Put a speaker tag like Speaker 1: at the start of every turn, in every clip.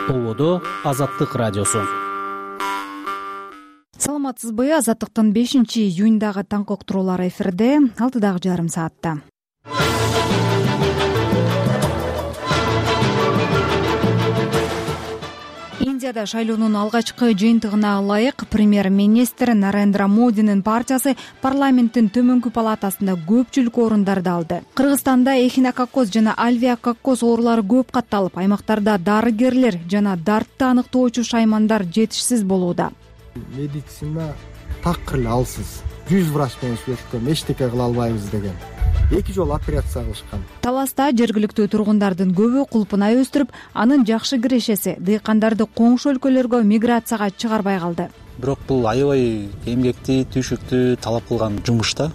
Speaker 1: Ободо Азаттык радиосу.
Speaker 2: Саламатсызбы? Азаттыктын 5-июндагы таңкы уктуруулары эфирде 6:30 саатта. Индияда шайлоонун алгачкы жыйынтыгына ылайык премьер-министр Нарендра Модинин партиясы парламенттин төмөнкү палатасында көпчүлүк орундарды алды. Кыргызстанда эхинококкоз жана альвеококкоз оорулары көп катталып, аймактарда дарыгерлер жана дартты аныктоочу шаймандар жетишсиз болууда.
Speaker 3: Медицина такыр эле алсыз. 100 врач менен сүйлөшкөм, эчтеке кыла албайбыз деген. 2 жолу операция кылышкан.
Speaker 2: Таласта жергиликтүү тургундардын көбү кулпунай өстүрүп, анын жакшы кирешеси дыйкандарды коңшу өлкөлөргө миграцияга чыгарбай калды.
Speaker 4: Бирок бул аябай эмгекти, түйшүктү талап кылган жумуш да.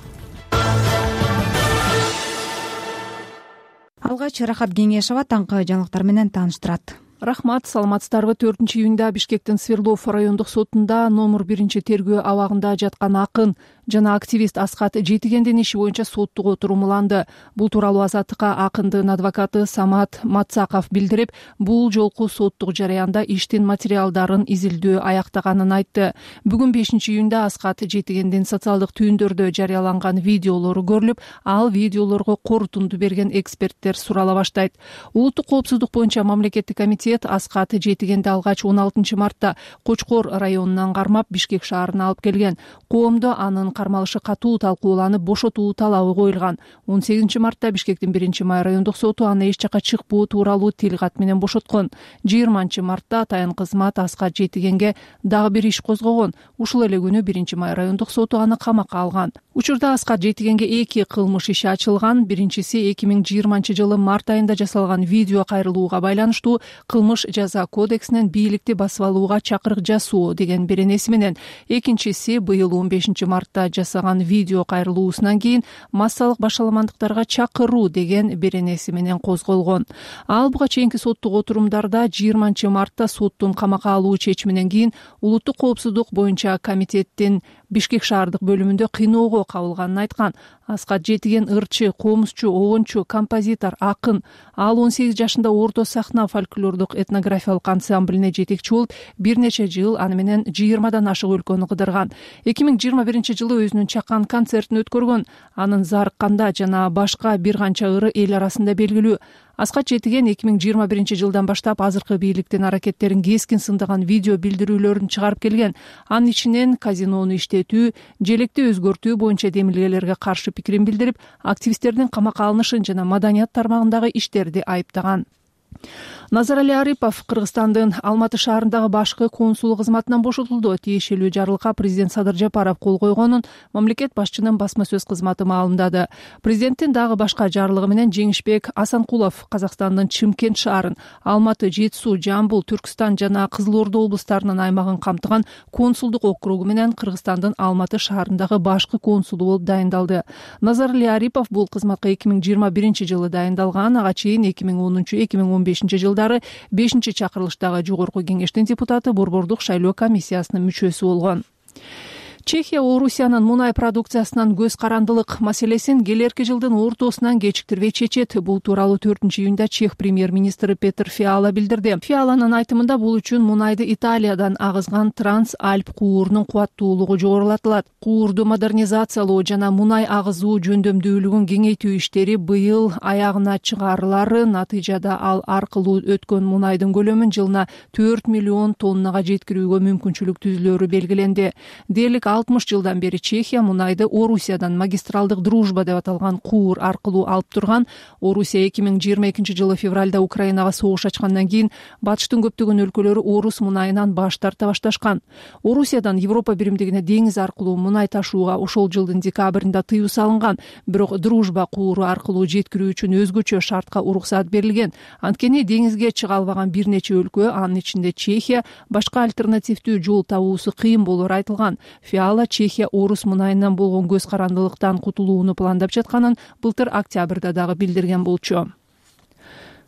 Speaker 2: Алгач Рахат Кеңешова таңкы жаңылыктар менен тааныштырат.
Speaker 5: Рахмат, саламатсыздарбы? 4-июнда Бишкектин Свердлов райондук сотунда номер 1 тергөө абагында жаткан акын жана активист Аскат Жетигендин иши боюнча соттук отурум уланды. Бул тууралуу Азаттыкка акындын адвокаты Самат Мацаков билдирип, бул жолку соттук жараянда иштин материалдарын изилдөө аяктаганын айтты. Бүгүн 5-июнда Аскат Жетигендин социалдык түйүндөрдө жарыяланган видеолору көрүлүп, ал видеолорго корутунду берген эксперттер сурала баштайт. Улуттук коопсуздук боюнча мамлекеттик комитет Аскат Жетигенди алгач 16 мартта Кочкор районунан кармап Бишкек шаарына алып келген. Коомдо анын кармалышы катуу талкууланып, бошотуу талабы коюлган. 18 мартта Бишкектин 1-май райондук соту аны эч жакка чыкпоо тууралуу тилкат менен бошоткон. 20 мартта таян кызмат Аскат Жетигенге дагы бир иш козгогон. Ушул эле күнү 1-май райондук соту аны камакка алган. Учурда Аскат Жетигенге 2 кылмыш иши ачылган. Биринчиси 2020 жылы март айында жасалган видео кайрылууга байланыштуу кылмыш жаза кодексинен бийликти басып алууга чакырык жасоо деген беренеси менен, экинчиси быйыл 15 мартта жасаган видео кайрылуусунан кийин массалык башаламандыктарга чакыруу деген беренеси менен козголгон. Ал буга чейинки соттук отурумдарда 20 мартта соттун камакка алуу чечиминен кийин улуттук коопсуздук боюнча комитеттин Бишкек шаардык бөлүмүндө кыйноого кабылганын айткан. Аскат Жетиген ырчы, комузчу, обончу, композитор, акын. Ал 18 жашында орто сахна фольклордук этнографиялык ансамблине жетекчи болуп, бир нече жыл аны менен 20дан ашык өлкөнү кыдырган. 2021 жылы өзүнүн чакан концертин өткөргөн. Анын Зарыкканда жана башка бир канча ыры эл арасында белгилүү. Аскат Жетиген 2021 жылдан баштап азыркы бийликтин аракеттерин кескин сындаган видео билдирүүлөрүн чыгарып келген. Анын ичинен казинону иштетүү, желекти өзгөртүү боюнча демилгелерге каршы пикирин билдирип, активисттердин камакка алынышын жана маданият тармагындагы иштерди айыптаган. Назарали Арипов Кыргызстандын Алматы шаарындагы башкы консулу кызматынан бошотулду. Тиешелүү жарлыкка президент Садыр Жапаров кол койгонун мамлекет башчынын басма сөз кызматы маалымдады. Президенттин дагы башка жарлыгы менен Жеңишбек Асанкулов Казакстандын Чымкент шаарын, Алматы, Жети Суу, Жамбыл, Түркстан жана Кызыл Ордо облустарынын аймагын камтыган консулдук округу менен Кыргызстандын Алматы шаарындагы башкы консулу болуп дайындалды. Назарали Арипов бул кызматка 2021 жылы дайындалган, ага чейин 2010-2015 жылдары 5-чакырылыштагы жогорку кеңештин депутаты, Борбордук шайлоо комиссиясынын мүчөсү болгон. Чехия Орусиянын мунай продукциясынан көз карандылык маселесин келерки жылдын ортосунан кечиктирбей чечет. Бул тууралуу 4-июнда Чех премьер-министри Петр Фиала билдирди. Фиаланын айтымында бул үчүн мунайды Италиядан агызган Транс-Альп куурунун кубаттуулугу жогорулатылат. Куурду модернизациялоо жана мунай агызуу жөндөмдүүлүгүн кеңейтүү иштери быйыл аягына чыгарылары, натыйжада ал аркылуу өткөн мунайдын көлөмүн жылына 4 миллион тоннага жеткирүүгө мүмкүнчүлүк түзүлөрү белгиленди. Дээрлик 60 жылдан бери Чехия мунайды Орусиядан магистралдык дружба деп аталган куур аркылуу алып турган. Орусия 2022 жылы февралда Украинага согуш ачкандан кийин батыштын көптөгөн өлкөлөрү орус мунайынан баш тарта башташкан. Орусиядан Европа биримдигине деңиз аркылуу мунай ташууга ошол жылдын декабрында тыюу салынган. Бирок дружба кууру аркылуу жеткирүү үчүн өзгөчө шартка уруксаат берилген. Анткени деңизге чыга албаган бир нече өлкө, анын ичинде Чехия, башка альтернативдүү жол табуусу кыйын болору айтылган. Чехия орус мунайынан болгон көз карандылыктан кутулууну пландап жатканын былтыр октябрда дагы билдирген болчу.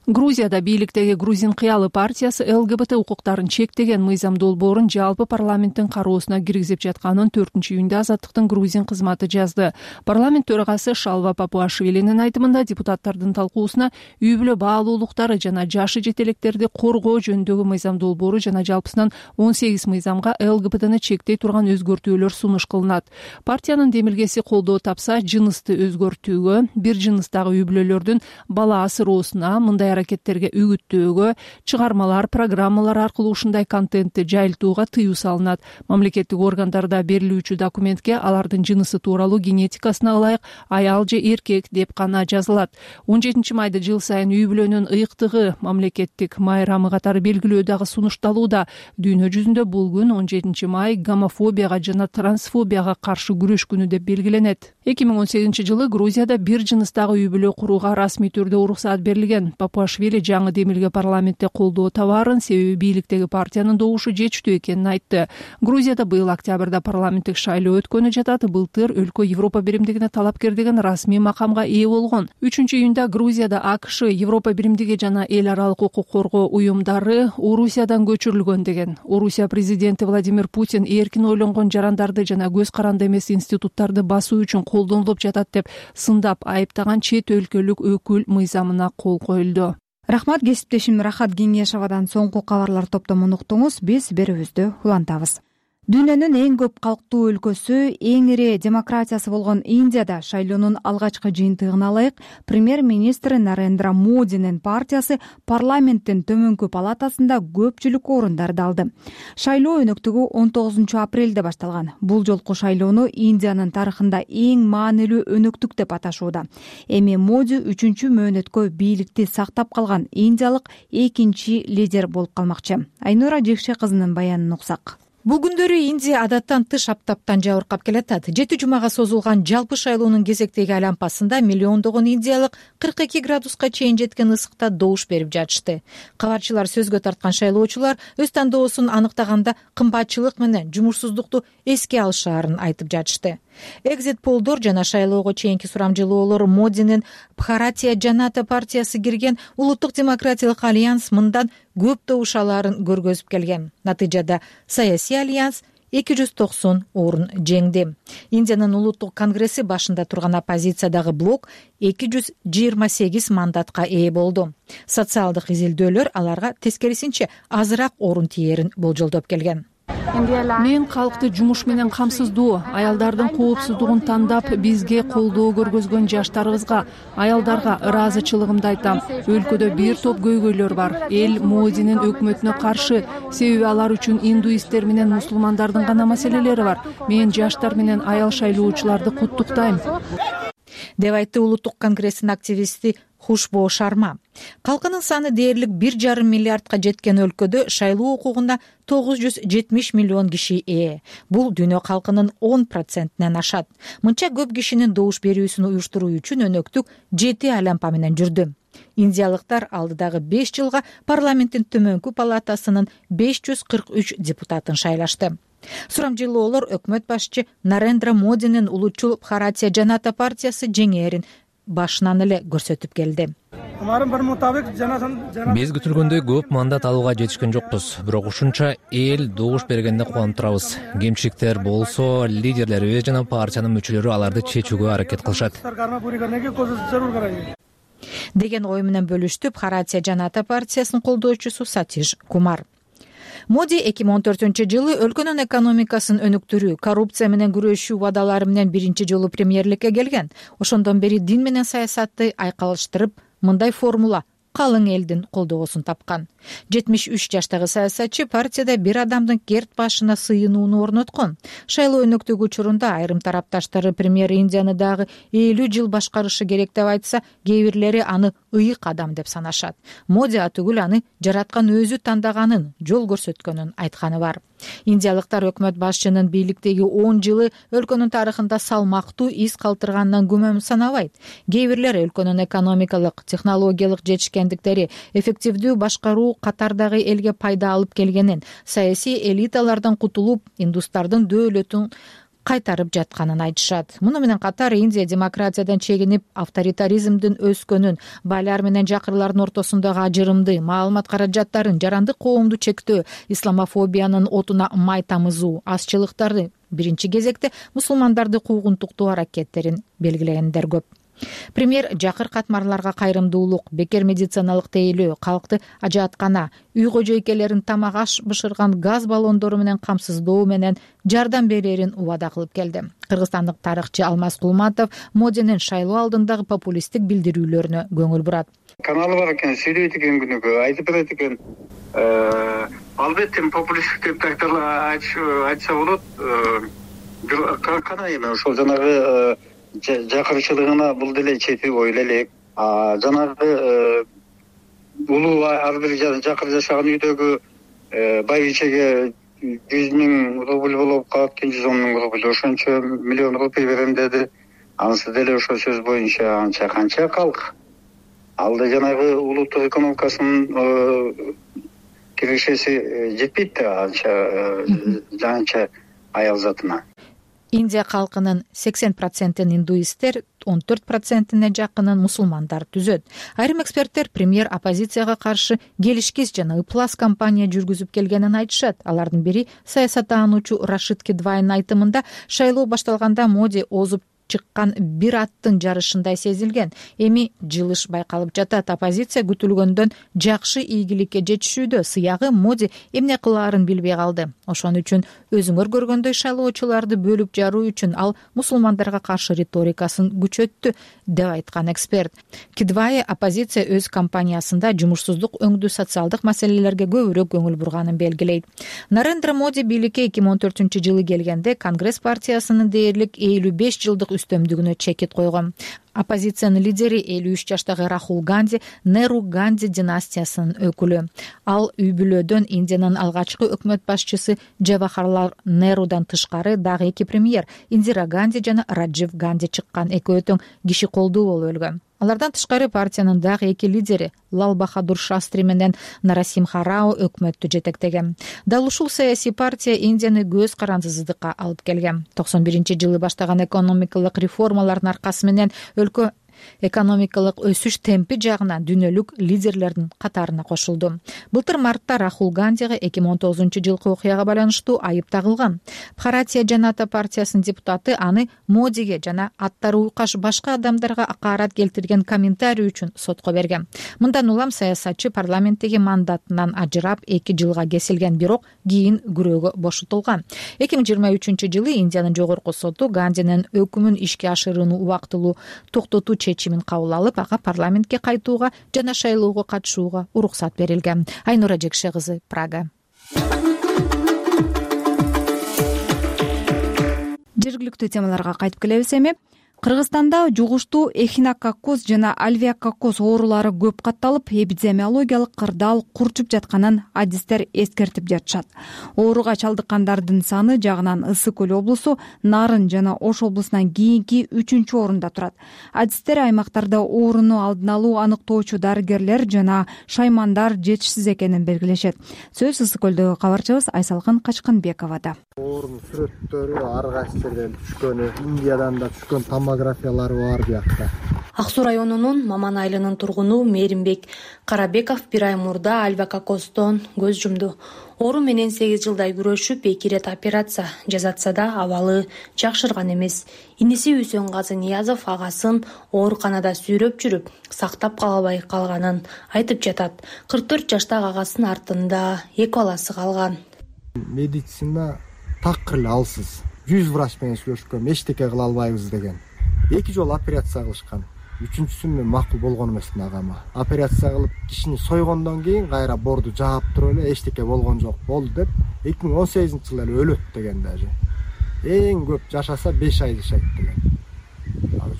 Speaker 5: Грузияда бийликтеги Грузин кыялы партиясы ЛГБТ укуктарын чектеген мыйзам долбоорун жалпы парламенттин кароосуна киргизип жатканын 4-июнда Азаттыктын Грузин кызматы жазды. Парламент төрагасы Шалва Папуашвилинин айтымында депутаттардын талкуусуна үй бүлө баалуулуктары жана жашы жетелектерди коргоо жөнүндөгү мыйзам долбоору жана жалпысынан 18 мыйзамга ЛГБТны чектей турган өзгөртүүлөр сунуш кылынат. Партиянын демилгеси колдоо тапса, жынысты өзгөртүүгө, бир жыныстагы үй бүлөлөрдүн бала асыроосуна, мындай аракеттерге үгүттөөгө, чыгармалар, программалар аркылуу ушундай контентти жайылтууга тыюу салынат. Мамлекеттик органдарда берилүүчү документке алардын жынысы тууралуу генетикасына ылайык аял же эркек деп гана жазылат. 17 жыл сайын үй бүлөнүн ыйыктыгы мамлекеттик майрамы катары белгилөө дагы сунушталууда. Дүйнө жүзүндө бул күн 17 май гомофобияга жана трансфобияга каршы күрөш күнү деп белгиленет. 2018 жылы Грузияда бир жыныстагы үй бүлө курууга расмий түрдө уруксаат берилген. Папуашвили жаңы демилге парламентте колдоо табаарын, себеби бийликтеги партиянын добушу жетиштүү экенин айтты. Грузияда быйыл октябрда парламенттик шайлоо өткөнү жатат. Былтыр өлкө Европа биримдигине талапкер деген расмий макамга ээ болгон. 3-июнда Грузияда АКШ, Европа биримдиги жана эл аралык укук коргоо уюмдары Орусиядан көчүрүлгөн деген. Орусия президенти Владимир Путин эркин ойлонгон жарандарды жана көз каранды эмес институттарды басуу үчүн колдонулуп жатат деп сындап айыптаган чет өлкөлүк өкүл мыйзамына кол коюлду.
Speaker 2: Рахмат, кесиптешим Рахат Кеңешовадан соңку кабарлар топтомун уктуңуз. Биз берүүбүздү улантабыз. Дүйнөнүн эң көп калктуу өлкөсү, эң ири демократиясы болгон Индияда шайлоонун алгачкы жыйынтыгына ылайык премьер-министр Нарендра Модинин партиясы парламенттин төмөнкү палатасында көпчүлүк орундарды алды. Шайлоо өнөктүгү 19 апрелде башталган. Бул жолку шайлоону Индиянын тарыхында эң маанилүү өнөктүк деп аташууда. Эми Моди 3-чү мөөнөткө бийликти сактап калган индиялык экинчи лидер болуп калмакчы. Айнура Жекше кызынын баянын уксак.
Speaker 6: Бул күндөрү Индия адаттан тыш аптаптан жабыркап келатат. 7 жумага созулган жалпы шайлоонун кезектеги айлампасында миллиондогон индиялык 42 градуска чейин жеткен ысыкта добуш берип жатышты. Кабарчылар сөзгө тарткан шайлоочулар өз тандоосун аныктаганда кымбатчылык менен жумушсуздукту эске алышаарын айтып жатышты. Экзит полдор жана шайлоого чейинки сурамжылоолор Модинин Бхаратия Жаната партиясы кирген Улуттук демократиялык альянс мындан көп добуш алаарын көргөзүп келген. Натыйжада саясий альянс 290 орун жеңди. Индиянын улуттук конгресси башында турган оппозициядагы блок 228 мандатка ээ болду. Социалдык изилдөөлөр аларга тескерисинче азыраак орун тиерин болжолдоп келген.
Speaker 5: Мен калкты жумуш менен камсыздоо, аялдардын коопсуздугун тандап бизге колдоо көргөзгөн жаштарыбызга, аялдарга ыраазычылыгымды айтам. Өлкөдө бир топ көйгөйлөр бар. Эл Модинин өкмөтүнө каршы, себеби алар үчүн индуисттер менен мусулмандардын гана маселелери бар. Мен жаштар менен аял шайлоочуларды куттуктайм,
Speaker 6: деп айтты Улуттук конгресстин активисти Хушбо Шарма. Калкынын саны дээрлик 1,5 миллиардка жеткен өлкөдө шайлоо укугуна 970 миллион киши ээ. Бул дүйнө калкынын 10%-нен ашат. Мынча көп кишинин добуш берүүсүн уюштуруу үчүн өнөктүк 7 айлампа менен жүрдү. Индиялыктар алдыдагы 5 жылга парламенттин төмөнкү палатасынын 543 депутатын шайлашты. Сурамжылоолор өкмөт башчы Нарендра Модинин улутчул Бхаратия Жаната партиясы жеңээрин башынан эле көрсөтүп келди.
Speaker 7: Биз күтүлгөндөй көп мандат алууга жетишкен жокпуз, бирок ушунча эл добуш бергенде кубанып турабыз. Кемчиликтер болсо, лидерлерибиз жана партиянын мүчөлөрү аларды чечүүгө аракет кылышат,
Speaker 6: деген ой менен бөлүштү Бхаратия Жаната партиясынын колдоочусу Сатиш Кумар. Моди 2014-жылы өлкөнүн экономикасын өнүктүрүү, коррупция менен күрөшүү убадалары менен биринчи жолу премьерликке келген. Ошондон бери дин менен саясатты айкалыштырып, мындай формула калың элдин колдоосун тапкан. 73 жаштагы саясатчы партияда бир адамдын керт башына сыйынууну орноткон. Шайлоо өнөктүгү учурунда айрым тарапташтары премьер Индияны дагы 50 жыл башкарышы керек деп айтса, кээ бирлери аны ыйык адам деп санашат. Моди атүгүл аны жараткан өзү тандаганын, жол көрсөткөнүн айтканы бар. Индиялыктар өкмөт башчынын бийликтеги 10 жылы өлкөнүн тарыхында салмактуу из калтырганынан күмөн санабайт. Кээ бирлер өлкөнүн экономикалык, технологиялык жетишкендиктери, эффективдүү башкаруу катардагы элге пайда алып келгенин, саясий элиталардан кутулуп, индустардын дөөлөтүн кайтарып жатканын айтышат. Муну менен катар Индия демократиядан чегинип, авторитаризмдин өскөнүн, байлар менен жакырлардын ортосундагы ажырымды, маалымат каражаттарын, жарандык коомду чектөө, исламофобиянын отуна май тамызуу, азчылыктарды, биринчи кезекте мусулмандарды куугунтуктоо аракеттерин белгилегендер көп. Премьер жакыр катмарларга кайрымдуулук, бекер медициналык тейлөө, калкты ажааткана, үй кожойкелерин тамак аш бышырган газ баллондору менен камсыздоо менен жардам берерин убада кылып келди. Кыргызстандык тарыхчы Алмаз Кулматов Модинин шайлоо алдындагы популисттик билдирүүлөрүнө көңүл бурат.
Speaker 8: Каналы бар экен, сүйлөйт экен күнүгө, айтып берет экен. Албетте популисттик деп тактарлар айтса болот. Кана эми ошол жанагы жакырчылыгына бул деле чети ойла элек. Жанагы улуу ар бир жакыр жашаган үйдөгү байбичеге 100.000 рубль болуп калат, 110.000 рубль, ошончо миллион рубль берем деди. Анысы деле ошол сөз боюнча анча канча калк. Алда жанагы улуттук экономикасынын киришеси жетпейт да анча аял затына.
Speaker 6: Индия калкынын 80%-ин индуисттер, 14%-ине жакынын мусулмандар түзөт. Айрым эксперттер премьер оппозицияга каршы келишкис жана ыплас кампания жүргүзүп келгенин айтышат. Алардын бири саясаттануучу Рашид Кидвайнын айтымында, шайлоо башталганда Моди озуп чыккан бир аттын жарышындай сезилген. Эми жылыш байкалып жатат. Оппозиция күтүлгөндөн жакшы ийгиликке жетишүүдө. Сыягы Моди эмне кылаарын билбей калды. Ошон үчүн өзүңөр көргөндөй шайлоочуларды бөлүп жаруу үчүн ал мусулмандарга каршы риторикасын күчөттү, деп айткан эксперт. Кидвай оппозиция өз кампаниясында жумушсуздук өңдүү социалдык маселелерге көбүрөөк көңүл бурганын белгилейт. Нарендра Моди бийликке 2014-жылы келгенде Конгресс партиясынын дээрлик 55 жылдык үстөмдүгүнө чекит койгон. Оппозициянын лидери 53 жаштагы Рахул Ганди, Неру Ганди династиясынын өкүлү. Ал үй бүлөдөн Индиянын алгачкы өкмөт башчысы Джавахарлал Нерудан тышкары дагы 2 премьер Индира Ганди жана Раджив Ганди чыккан. Экөө тең киши колдуу болуп өлгөн. Алардан тышкары партиянын дагы 2 лидери Лал Бахадур Шастри менен Нарасимха Рао өкмөттү жетектеген. Дал ушул саясий партия Индияны көз карандысыздыкка алып келген. 91-жылы баштаган экономикалык реформалардын аркасы менен өлкө экономикалык өсүш темпи жагынан дүйнөлүк лидерлердин катарына кошулду. Былтыр мартта Рахул Гандига 2019-жылкы окуяга байланыштуу айып тагылган. Бхаратия Жаната партиясынын депутаты аны Модиге жана аттары уйкаш башка адамдарга акаарат келтирген комментарий үчүн сотко берген. Мындан улам саясатчы парламенттеги мандатынан ажырап 2 жылга кесилген, бирок кийин күрөөгө бошотулган. 2023-жылы Индиянын жогорку соту Гандинин өкүмүн ишке ашырууну убактылуу токтотуу чечимин кабыл алып, ага парламентке кайтууга жана шайлоого катышууга уруксат берилген. Айнура Жекше кызы, Прага.
Speaker 2: Жергиликтүү темаларга кайтып келебиз эми. Кыргызстанда жугуштуу эхинококкоз жана альвеококкоз оорулары көп катталып, эпидемиологиялык кырдаал курчуп жатканын адистер эскертип жатышат. Ооруга чалдыккандардын саны жагынан Ысык Көл облусу Нарын жана Ош облусунан кийинки 3-орунда турат. Адистер аймактарда ооруну алдын алуу аныктоочу дарыгерлер жана шаймандар жетишсиз экенин белгилешет. Сөз Ысык Көлдөгү кабарчыбыз Айсалкын Качканбековада.
Speaker 3: Оорунун сүрөттөрү ар кайсы жерден түшкөнү, Индиядан да түшкөн томографиялары бар биякта.
Speaker 9: Ак Суу районунун Маман айылынын тургуну Мээримбек Карабеков 1 ай мурда альвеококкоздон көз жумду. Оору менен 8 жылдай күрөшүп, 2 рет операция жасатса да абалы жакшырган эмес. Иниси Үсөнгазы Ниязов агасын ооруканада сүйрөп жүрүп, сактап кала албай калганын айтып жатат. 44 жаштагы агасынын артында 2 баласы калган.
Speaker 3: Медицина такыр эле алсыз. 100 врач менен сүйлөшкөм, эчтеке кыла албайбыз деген. 2 жолу операция кылышкан. 3-сүн мен макул болгон эмесмин агама. Операция кылып кишини сойгондон кийин кайра борду жаап туруп эле эчтеке болгон жок болду деп 2018-жылы эле өлөт деген даже. Эң көп жашаса 5 ай жашайт деген.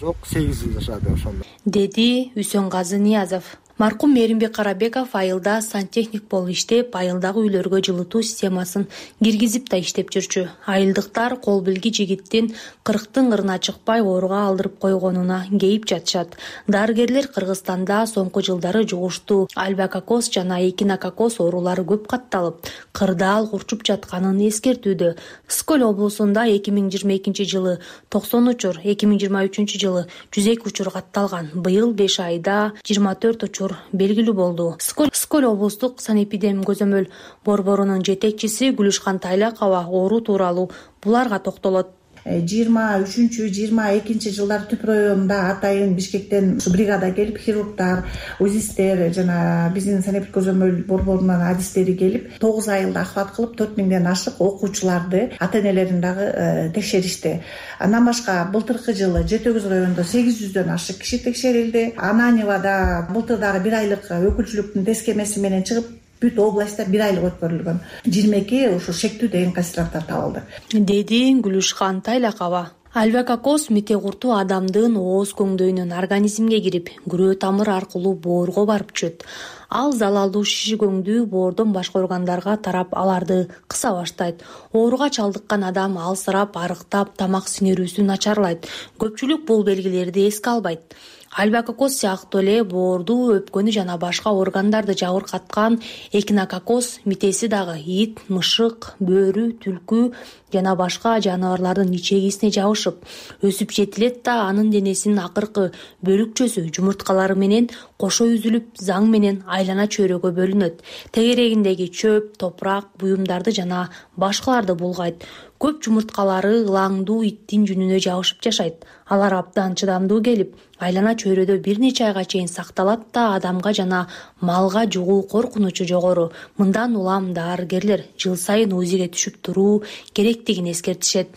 Speaker 3: Жок 8 жыл жашады ошондо.
Speaker 9: Деди Үсөнгазы Ниязов. маркум Мээримбек Карабеков айылда сантехник болуп иштеп, айылдагы үйлөргө жылытуу системасын киргизип да иштеп жүрчү. Айылдыктар кол билги жигиттин 40-тын ырына чыкпай ооруга алдырып койгонуна кейип жатышат. Дарыгерлер Кыргызстанда соңку жылдары жугуштуу альбакокоз жана эхинококоз оорулары көп катталып, кырдаал курчуп жатканын эскертүүдө. Сколь облусунда 2022 жылы 90 учур, 2023 жылы 102 учур катталган. Быйыл 5 айда 24 учур белгилүү болду. Сколь облустук санэпидем көзөмөл борборунун жетекчиси Гүлүшкан Тайлакова оору тууралуу буларга токтолот.
Speaker 10: 23-22 жылдары Түп районунда атайын Бишкектен бригада келип, хирургдар, узистер жана биздин санэпид көзөмөл борборунун адистери келип, 9 айылда охват кылып 4000ден ашык окуучуларды, ата-энелерин дагы текшеришти. Андан башка былтыркы жылы Жети Өгүз районунда 800дөн ашык киши текшерилди. Ананьевада былтыр дагы 1 айлык өкүлчүлүктүн тескемеси менен чыгып, бүт областта 1 айлык өткөрүлгөн. 22 ушу шектүү деген кассатор табылды, деди
Speaker 9: Гүлүшкан Тайлакова. Альбакокоз мите курту адамдын ооз көңдөйүнөн организмге кирип, күрөө тамыр аркылуу боорго барып түшөт. Ал залалдуу шиши көңдүү боордон башка органдарга тарап, аларды кыса баштайт. Ооруга чалдыккан адам алсырап, арыктап, тамак синирүүсү начарлайт. Көпчүлүк бул белгилерди эске албайт. Альбакокоз сыяктуу эле боорду, өпкөнү жана башка органдарды жабыркаткан эхинококоз митеси дагы ит, мышык, бөрү, түлкү жана башка жаныбарлардын ичегисине жабышып, өсүп жетилет да анын денесинин акыркы бөлүкчөсү жумурткалары менен кошо үзүлүп, заң менен айлана чөйрөгө бөлүнөт. Тегерегиндеги чөп, топурак, буюмдарды жана башкаларды булгайт. Көп жумурткалары ылаңдуу иттин жүнүнө жабышып жашайт. Алар абдан чыдамдуу келип, айлана чөйрөдө бир нече айга чейин сакталат да адамга жана малга жугуу коркунучу жогору. Мындан улам дарыгерлер жыл сайын УЗИге түшүп туруу керектигин эскертишет.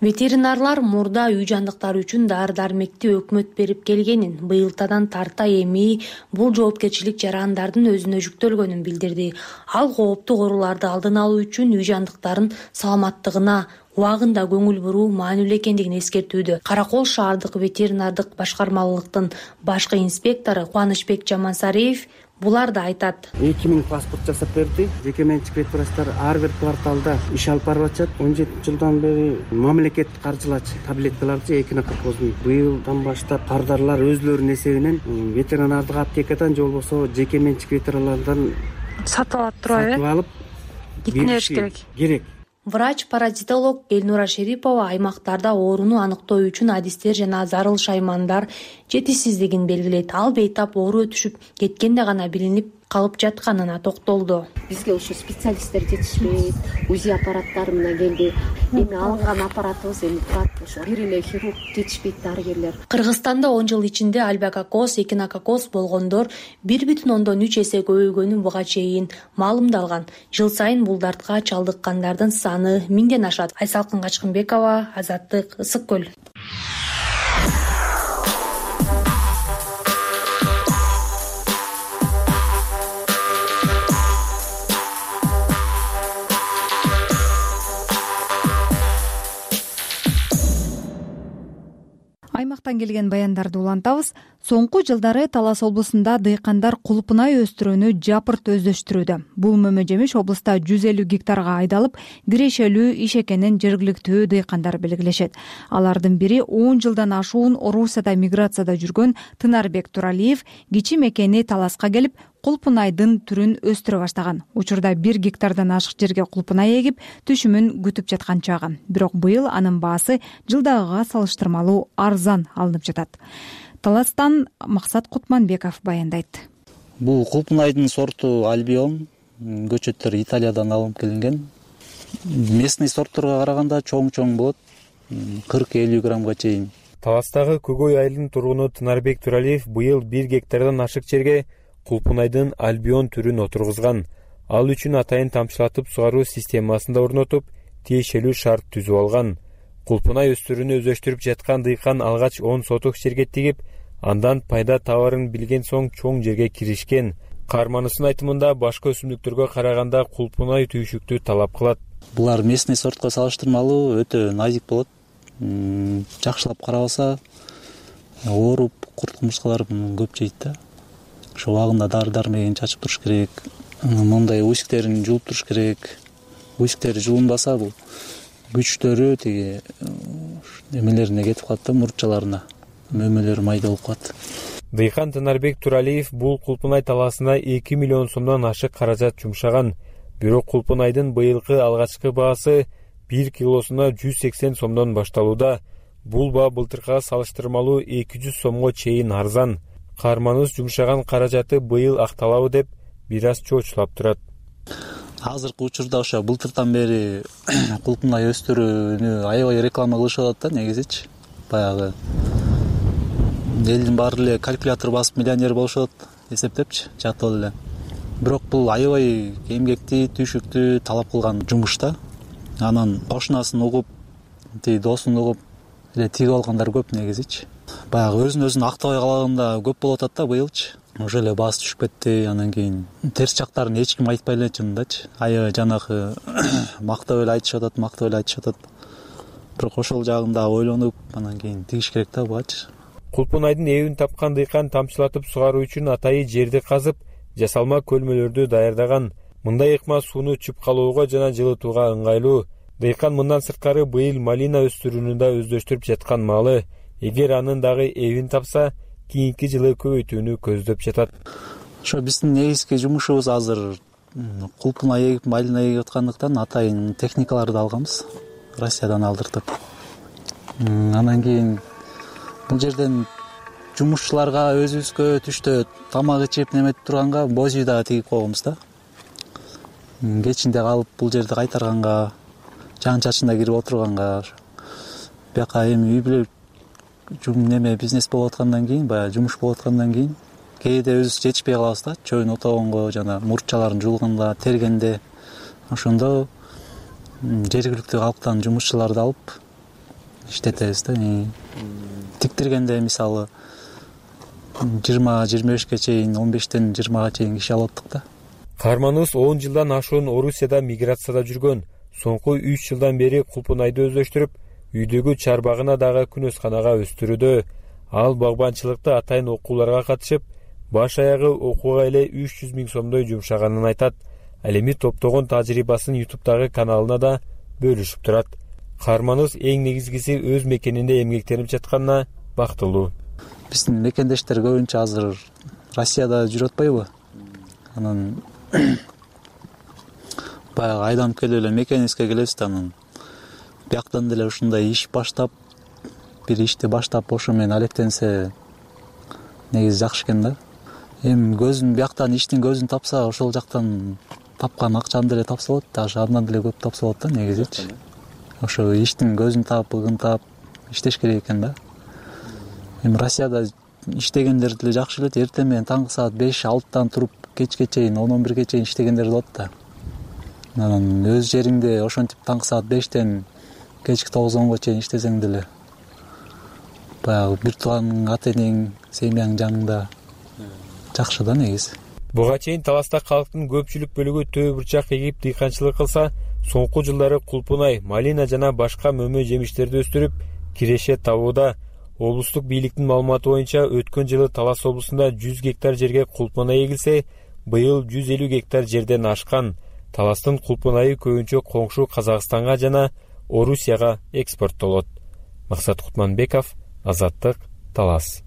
Speaker 9: Ветеринарлар мурда үй жандыктары үчүн дары-дармекти өкмөт берип келгенин, быйылтадан тарта эми бул жоопкерчилик жарандардын өзүнө жүктөлгөнүн билдирди. Ал кооптуу ооруларды алдын алуу үчүн үй жандыктарын саламаттыгына убагында көңүл буруу маанилүү экендигин эскертүүдө. Каракол шаардык ветеринардык башкармалыктын башкы инспектору Кубанычбек Жамансариев булар да айтат.
Speaker 11: 2000 паспорт жасап берди. Жеке менчик ветврачтар ар бир кварталда иш алып барып атышат. 17 жылдан бери мамлекет каржылачы таблеткаларды эхинококоздун. Быйылдан баштап кардарлар өзлөрүнүн эсебинен ветеринардык аптекадан же болбосо жеке менчик ветеринарлардан
Speaker 9: сатып алып турабы?
Speaker 11: Сатып алып
Speaker 9: кетмеш керек. Врач-паразитолог Элнура Шерипова аймактарда ооруну аныктоо үчүн адистер жана зарыл шаймандар жетишсиздигин белгилейт. Ал бейтап оору өтүшүп кеткенде гана билинип калып жатканына токтолду.
Speaker 12: Бизге ушу специалисттер жетишпейт, УЗИ аппараттары менен келди. Эми алынган аппаратыбыз эми турат, ошо бир эле хирург жетишпейт, дарыгерлер.
Speaker 9: Кыргызстанда 10 жыл ичинде альбакокоз, эхинококоз болгондор 1,3 эсе көбөйгөнү буга чейин маалымдалган. Жыл сайын бул дартка чалдыккандардын саны 1000ден ашат. Айсалкын Качкынбекова, Азаттык, Ысык көл.
Speaker 2: Аймактан келген баяндарды улантабыз. Соңку жылдары Талас облусунда дыйкандар кулпунай өстүрүүнү жапырт өздөштүрүүдө. Бул мөмө-жемиш облуста 150 гектарга айдалып, кирешелүү иш экенин жергиликтүү дыйкандар белгилешет. Алардын бири 10 жылдан ашуун Орусияда миграцияда жүргөн Тынарбек Туралиев кичи мекени Таласка келип, кулпунайдын түрүн өстүрө баштаган. Учурда 1 гектардан ашык жерге кулпунай эгип, түшүмүн күтүп жаткан чагы. Бирок быйыл анын баасы жылдагыга салыштырмалуу арзан алынып жатат. Таластан Максат Кутманбеков баяндайт.
Speaker 4: Бул кулпунайдын сорту Альбион, көчөттөр Италиядан алынып келинген. Местный сортторго караганда чоң болот, 40-50 граммга чейин.
Speaker 13: Таластагы Көгөй айылынын тургуну Тынарбек Туралиев быйыл 1 гектардан ашык жерге кулпунайдын Альбион түрүн отургузган. Ал үчүн атайын тамчылатып сугаруу системасын да орнотуп, тиешелүү шарт түзүп алган. Кулпунай өстүрүүнү өздөштүрүп жаткан дыйкан алгач 10 соток жерге тигип, андан пайда табарын билген соң чоң жерге киришкен. Каарманысынын айтымында башка өсүмдүктөргө караганда кулпунай түйшүктү талап кылат.
Speaker 4: Булар местный сортко салыштырмалуу өтө назик болот. Жакшылап карабаса, ооруп, курт кумурскалар көп жейт да. ошо убагында дары дармегин чачып туруш керек, мындай усиктерин жууп туруш керек. Усиктери жуунбаса бул күчтөрү тиги эмелерине кетип калат да, мурутчаларына, мөмөлөрү майда болуп калат.
Speaker 13: Дыйкан Тынарбек Туралиев бул Кулпунай талаасына 2 миллион сомдон ашык каражат жумшаган. Бирок Кулпунайдын быйылкы алгачкы баасы 1 килосуна 180 сомдон башталууда. Бул баа былтыркыга салыштырмалуу 200 сомго чейин арзан. Каарманыбыз жумшаган каражаты быйыл акталабы деп бир аз чоочулап турат.
Speaker 4: Азыркы учурда ошо былтыртан бери Кулпунай өстүрүүнү аябай реклама кылышып атат да, негизичи. Баягы элдин баары эле калькулятор басып миллионер болушат эсептепчи, жатып эле. Бирок бул аябай эмгектүү, түйшүктүү талап кылган жумуш да. Анан кошунасын угуп, досун угуп эле тигип алгандар көп негизичи. Баягы өзүн актабай калганда көп болуп атат да быйылчы. Уже эле баасы түшүп кетти, анан кийин терс жактарын эч ким айтпай эле чынындачы. Аябай жанагы мактап эле айтышып атат. Бирок ошол жагын да ойлонуп, анан кийин тигиш керек да бугачы.
Speaker 13: Кулпунайдын эбин тапкан дыйкан тамчылатып сугаруу үчүн атайы жерди казып, жасалма көлмөлөрдү даярдаган. Мындай ыкма сууну чүп калууга жана жылытууга ыңгайлуу. Дыйкан мындан сырткары быйыл малина өстүрүүнү да өздөштүрүп жаткан маалы. Эгер анын дагы эбин тапса, кийинки жылы көбөйтүүнү көздөп жатат.
Speaker 4: Ошо биздин негизги жумушубуз азыр Кулпунай эгип, малина эгип аткандыктан атайын техникаларды алганбыз, Россиядан алдыртып. Анан кийин бул жерден жумушчуларга өзүбүзгө түштө тамак ичип неметип турганга боз үй дагы тигип койгонбуз да. Кечинде калып бул жерди кайтарганга, жаан-чачында кирип отурганга, бияка эми үй бүлө неме бизнес болуп аткандан кийин, баягы жумуш болуп аткандан кийин кээде өзүбүз жетишпей калабыз да, чөйүн отогонго, жана мурутчаларын жуулганда, тергенде. Ошондо жергиликтүү калктан жумушчуларды алып иштетебиз да. Тиктиргенде мисалы 20-25ке чейин, 15тен 20га чейин киши алып аттык да.
Speaker 13: Каарманыбыз 10 жылдан ашуун Орусияда миграцияда жүргөн. Соңку 3 жылдан бери Кулпунайды өздөштүрүп, үйдөгү чарбагына дагы күнөсканага өстүрүүдө. Ал багбанчылыкта атайын окууларга катышып, баш аягы окууга эле 300 000 сомдой жумшаганын айтат. Ал эми топтогон тажрыйбасын YouTube'дагы каналына да бөлүшүп турат. Каарманыбыз эң негизгиси өз мекенинде эмгектенип жатканына бактылуу.
Speaker 4: Биздин мекендештер көбүнчө азыр Россияда жүрүп атпайбы? Анан баягы айданып келип эле мекенибизге келебиз да, анан бияктан деле ушундай иш баштап, бир ишти баштап ошо менен алектенсе негизи жакшы экен да. Эми көзүн бияктан иштин көзүн тапса, ошол жактан тапкан акчаны деле тапса болот да, андан деле көп тапса болот да негизичи. Ошо иштин көзүн таап, ыгынтап иштеш керек экен да. Эми Россияда иштегендер деле жакшы элет, эртең менен таңкы саат 5-6тан туруп кечке чейин 10-11ге чейин иштегендер болот да. Анан өз жериңде ошентип таңкы саат 5тен кечки 9-10го чейин иштесең деле баягы бир тууганың, ата-энең, семьяң жаныңда жакшы да негизи.
Speaker 13: Буга чейин таласта калктын көпчүлүк бөлүгү төө бурчак эгип дыйканчылык кылса, соңку жылдары Кулпунай, малина жана башка мөмө жемиштерди өстүрүп, киреше табууда. Облустук бийликтин маалыматы боюнча өткөн жылы Талас облусунда 100 гектар жерге Кулпунай эгилсе, быйыл 150 гектар жерден ашкан. Таластын Кулпунайы көбүнчө коңшу Казакстанга жана Орусияга экспорттолот. Максат Кутманбеков, Азаттык, Талас.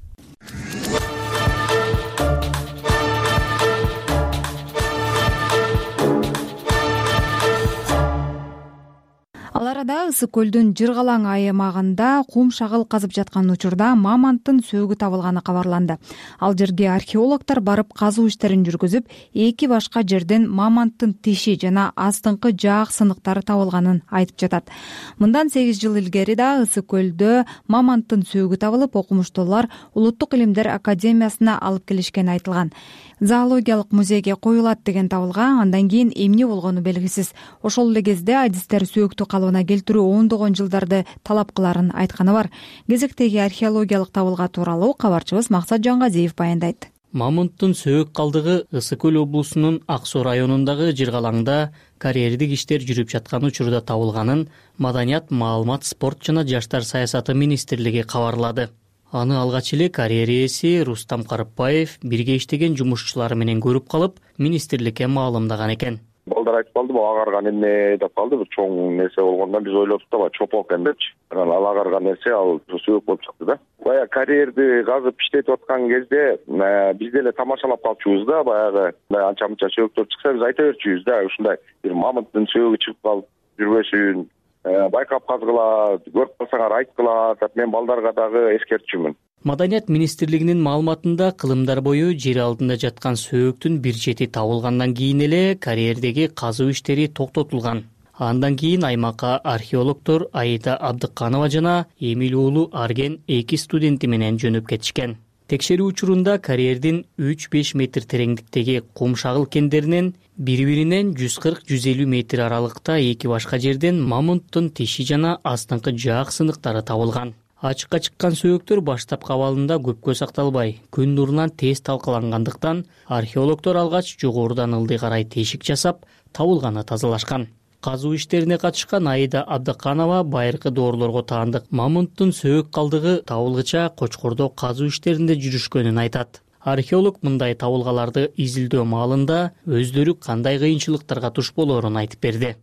Speaker 2: Ал арада Ысык көлдүн Жыргалаң аймагында кум шагыл казып жаткан учурда мамонттун сөөгү табылганы кабарланды. Ал жерге археологдор барып казуу иштерин жүргүзүп, 2 башка жерден мамонттун тиши жана астыңкы жаак сыныктары табылганын айтып жатат. Мындан 8 жыл илгери да Ысык көлдө мамонттун сөөгү табылып, окумуштуулар Улуттук илимдер академиясына алып келишкени айтылган. Зоологиялык музейге коюлат деген табылган, андан кийин эмне болгону белгисиз. Ошол эле кезде адистер сөөктү калыбына келтирүү ондогон жылдарды талап кыларын айтканы бар. Кезектеги археологиялык табылга тууралуу кабарчыбыз Максат Жангазиев баяндайт.
Speaker 1: Мамонттун сөөк калдыгы Ысык көл облусунун Ак Суу районундагы Жыргалаңда карьердик иштер жүрүп жаткан учурда табылганын Маданият, маалымат, спорт жана жаштар саясаты министрлиги кабарлады. Аны алгач эле карьер ээси Рустам Карыпбаев бирге иштеген жумушчулары менен көрүп калып, министрликке маалымдаган экен.
Speaker 14: Балдар айтып калды, бул агарган эмне деп калды, бир чоң нерсе болгондон биз ойлоптук да, чопок экен депчи. Анан ал агарган нерсе ал сөөк болуп чыкты да. Баягы карьерди казып иштетип аткан кезде биз деле тамашалап калчубуз да, баягы анча мынча сөөктөр чыкса биз айта берчүбүз да, ушундай бир мамонттун сөөгү чыгып калып жүрбөсүн, байкап казгыла, көрүп калсаңар айткыла деп мен балдарга дагы эскертчүмүн.
Speaker 1: Маданият министрлигинин маалыматында кылымдар бою жер алдында жаткан сөөктүн бир чети табылгандан кийин эле карьердеги казуу иштери токтотулган. Андан кийин аймакка археологдор Аида Абдыканова жана Эмиль уулу Арген 2 студенти менен жөнөп кетишкен. Текшерүү учурунда карьердин 3-5 метр тереңдиктеги кум шагыл кендеринен бири-биринен 140-150 метр аралыкта эки башка жерден мамонттун тиши жана астыңкы жаак сыныктары табылган. Ачыкка чыккан сөөктөр баштапкы абалында көпкө сакталбай, күн нурунан тез талкалангандыктан археологдор алгач жогорудан ылдый карай тешик жасап, табылганы тазалашкан. Казуу иштерине катышкан Аида Абдыканова байыркы доорлорго таандык мамонттун сөөк калдыгы табылгыча Кочкордо казуу иштеринде жүрүшкөнүн айтат. Археолог мындай табылгаларды изилдөө маалында өздөрү кандай кыйынчылыктарга туш болоорун айтып берди.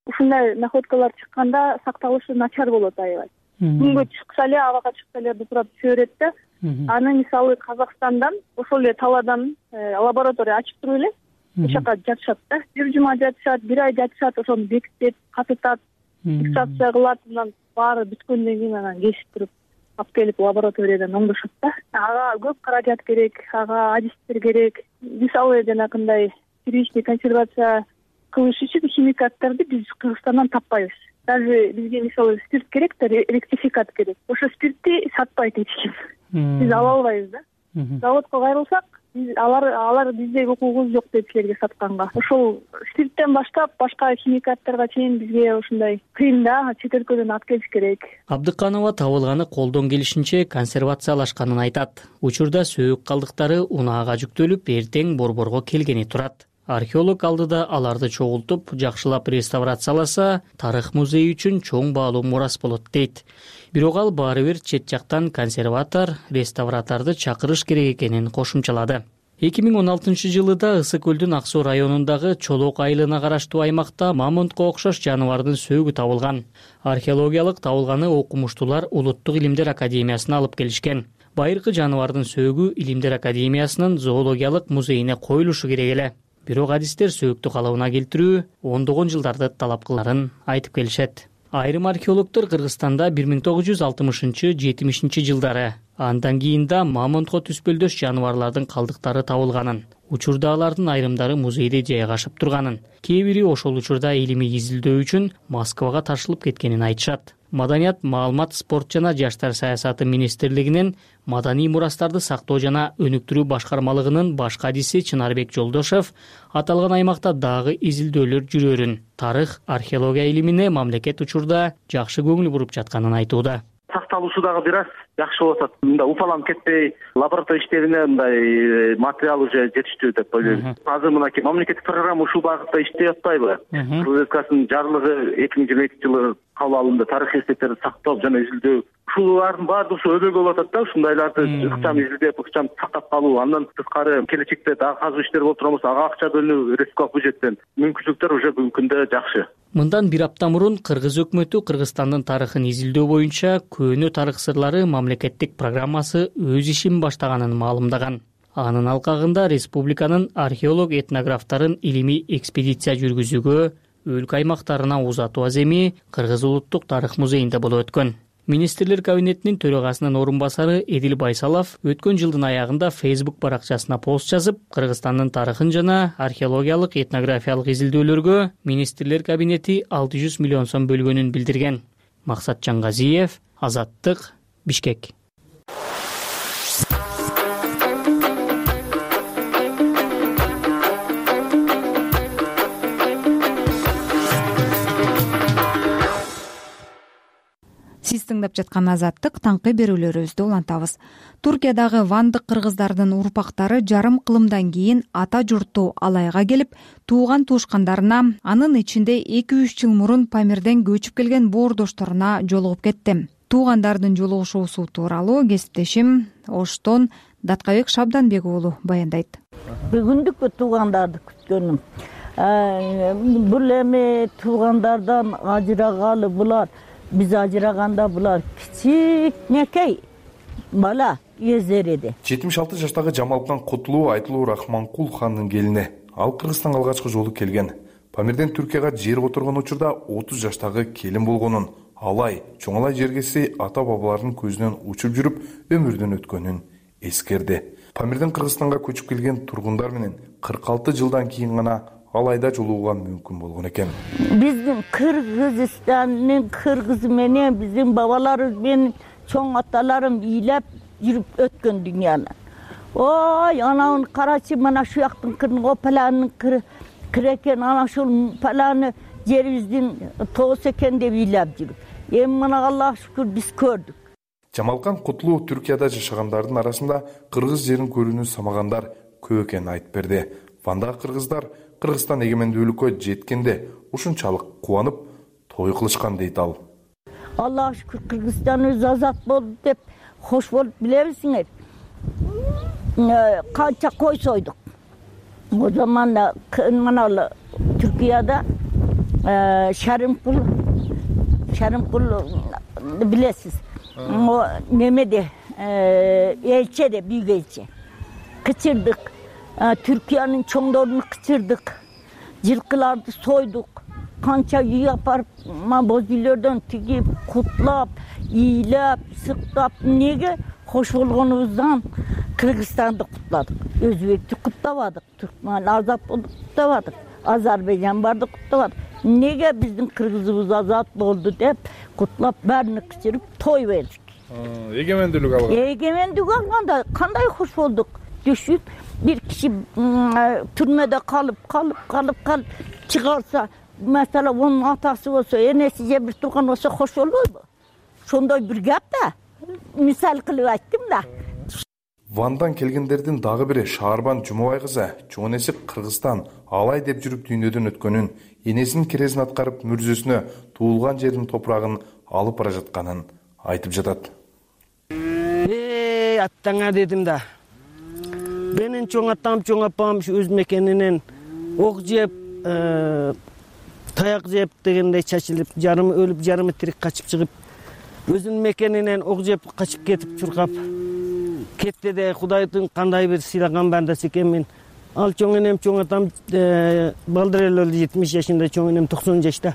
Speaker 15: Ушундай находкалар чыкканда сакталышы начар болот аябай. Күнгө чыкса эле, абага чыкса эле бутурап түшө берет да. Аны мисалы Казакстандан, ошол эле Таладан лаборатория ачып туруп эле ошол жака жатышат да. Бир жума жатышат, бир ай жатышат, ошону бекитет, катытат, фиксация кылат, анан баары бүткөндөн кийин анан кесип туруп алып келип лабораториядан оңдошот да. Ага көп каражат керек, ага адистер керек. Мисалы жанагындай первичный консервация кылыш үчүн химикаттарды биз Кыргызстандан таппайбыз. Даже бизге мисалы спирт керек да, ректификат керек. Ошо спиртти сатпайт эч ким. Биз ала албайбыз да. Заводко кайрылсак, алар бизде укугубуз жок деп силерге сатканга. Ошол спирттен баштап башка химикаттарга чейин бизге ушундай кыйын да, чет өлкөдөн алып келиш керек.
Speaker 1: Абдыканова табылганы колдон келишинче консервациялашканын айтат. Учурда сөөк калдыктары унаага жүктөлүп, эртең борборго келгени турат. Археолог алдыда аларды чогултуп, жакшылап реставрацияласа, тарых музеи үчүн чоң баалуу мурас болот дейт. Бирок ал баары бир чет жактан консерватор, реставраторду чакырыш керек экенин кошумчалады. 2016-жылы да Ысык көлдүн Ак Суу районундагы Чолок айылына караштуу аймакта мамонтко окшош жаныбардын сөөгү табылган. Археологиялык табылганы окумуштуулар Улуттук илимдер академиясына алып келишкен. Байыркы жаныбардын сөөгү Илимдер академиясынын зоологиялык музейине коюлушу керек эле. Бирок адистер сөөктү калыбына келтирүү ондогон жылдарды талап кыларын айтып келишет. Айрым археологдор Кыргызстанда 1960-70 жылдары, андан кийин да мамонтко түспөлдөш жаныбарлардын калдыктары табылганын, учурда алардын айрымдары музейде жайгашып турганын, кээ бири ошол учурда илимий изилдөө үчүн Москвага ташылып кеткенин айтышат. Маданият, маалымат, спорт жана жаштар саясаты министрлигинин маданий мурастарды сактоо жана өнүктүрүү башкармалыгынын баш кадиси Чынарбек Жолдошев аталган аймакта дагы изилдөөлөр жүрөрүн, тарых, археология илимине мамлекет учурда жакшы көңүл буруп жатканын айтууда.
Speaker 16: Сакталуусу дагы бир аз жакшы болуп атат. Мында уфаланып кетпей, лаборатория иштерине мындай материал уже жетиштүү деп ойлойм. Азыр мынакей мамлекеттик программа ушул багытта иштеп атпайбы? Кыргыз Республикасынын жарлыгы 2022-жылы кабыл алынды. Тарых эстектерди сактоо жана изилдөө. Ушулардын баардыгы ушу өбөгө болуп атат да, ушундайларды ыкчам изилдеп, ыкчам сактап калуу. Андан тышкары келечекте дагы казуу иштери болуп турган болсо, ага акча бөлүнүү республикалык бюджеттен. Мүмкүнчүлүктөр уже бүгүнкү күндө жакшы.
Speaker 1: Мындан бир апта мурун Кыргыз өкмөтү Кыргызстандын тарыхын изилдөө боюнча Көөнө тарых сырлары мамлекеттик программасы өз ишин баштаганын маалымдаган. Анын алкагында республиканын археолог этнографтарын илимий экспедиция жүргүзүүгө өлкө аймактарына узатуу аземи Кыргыз улуттук тарых музейинде болуп өткөн. Министрлер кабинетинин төрагасынын орун басары Эдил Байсалов өткөн жылдын аягында Facebook баракчасына пост жазып, Кыргызстандын тарыхын жана археологиялык этнографиялык изилдөөлөргө Министрлер кабинети 600 миллион сом бөлгөнүн билдирген. Максат Жангазиев, Азаттык, Бишкек.
Speaker 2: Сиз тыңдап жаткан Азаттык, таңкы берүүлөрүбүздү улантабыз. Туркиядагы вандык кыргыздардын урпактары жарым кылымдан кийин ата журтту Алайга келип, тууган туушкандарына, анын ичинде 2-3 жыл мурун Памирден көчүп келген боордошторуна жолугуп кетти. туугандардын жолугушуусу тууралуу кесиптешим Оштон Даткабек Шабданбек уулу баяндайт.
Speaker 17: Бүгүндүкпү туугандарды күткөнүм. Бул эми туугандардан ажырагалы булар, биз ажыраганда булар кичинекей бала кездериди.
Speaker 18: 76 жаштагы Жамалкан Кутулуу Айтылуу Рахманкул хандын келини. Ал Кыргызстанга алгачкы жолу келген. Памирден Түркияга жер отурган учурда 30 жаштагы келин болгонун, алай, чоңалай жергеси ата-бабалардын көзүнөн учуп жүрүп өмүрдөн өткөнүн эскерди. Памирден Кыргызстанга көчүп келген тургундар менен 46 жылдан кийин гана алайда жолугууга мүмкүн болгон экен.
Speaker 17: Биздин Кыргызстандын кыргызы менен биздин бабаларыбыз менен чоң аталарым ыйлап жүрүп өткөн дүйнөнү. Ой, ананы карачы, мына шу жактын кырын опаланын кыры экен, ана ушул паланы жерибиздин тоосу экен деп ыйлап жүрүп. Эми мына Аллага шүкүр биз көрдүк.
Speaker 18: Жамалкан Кутулуу Түркияда жашагандардын арасында кыргыз жерин көрүүнү самагандар көп экенин айтып берди. Вандагы кыргыздар Кыргызстан эгемендүүлүккө жеткенде ушунчалык кубанып, той кылышкан дейт ал.
Speaker 17: Аллага шүкүр Кыргызстаныбыз азат болду деп хош болуп билебизиңер. Канча кой сойдук. О заманда мына Түркияда Шарымкул билесиз. Немеде элчеде, büyük элче. Кычырдык. Түркиянын чоңдорун кычырдык. Жылкыларды сойдук. Канча үй апарып, боз үйлөрдөн тигип, кутлап, ыйлап, сыктап, неге хош болгонубуздан Кыргызстанды кутладык. Өзбекти куттабадык, Түркман азат болду куттабадык, Азербайжан барды куттабадык. Неге биздин кыргызыбыз азат болду деп кутлап, бәрүнү кычырып той бердик.
Speaker 18: Эгемендүүлүк алган.
Speaker 17: Эгемендүүлүк алганда кандай хош болдук. Düşün, bir kişi türmede kalıp çıkarsa, mesela onun atası olsa, enesi bir tuğan olsa hoş olur mu? Şonday bir gap da, misal kılıp ayttım da.
Speaker 18: Вандан келгендердин дагы бири Шаарбан Жумабай кызы чоң энеси Кыргызстан алай деп жүрүп дүйнөдөн өткөнүн, энесинин керезин аткарып мүрзөсүнө туулган жердин топурагын алып бара жатканын айтып жатат.
Speaker 11: Аттаңа дедим да. Benim çoğ atam, çoğ apam öz mekeninden ok jep, tayak jep degende çaçılıp, jarımı ölüp, jarımı tirik kaçıp çıkıp, özün mekeninden ok jep kaçıp ketip çurkap, ketти de Kuday'dın kanday bir silagan bandası ekenmin. Al çoğ enem, çoğ atam baldır el öldü 70 yaşında, çoğ enem 90 yaşta.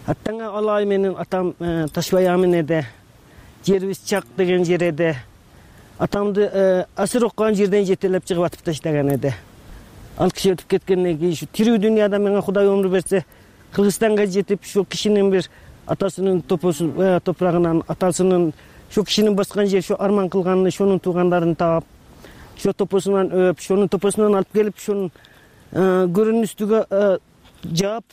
Speaker 11: Attanga alay menin atam Taşbayamın ede, Cerviz Çak degen jerede. Atamdı asır okuyan жерден жетелеп чыгып атып таштаган эди. Ал киши өтүп кеткенден кийин şu тирүү дүйнөдө менге Кудай өмүр берсе, Кыргызстанга жетип, şu кишинин bir атасынын топурагынан, атасынын şu кишинин баскан жер, şu арман кылганын, шонун туугандарын таап, şu топосунан өп, шонун топосунан алып келип, шонун көрүнүн үстүгө жаап,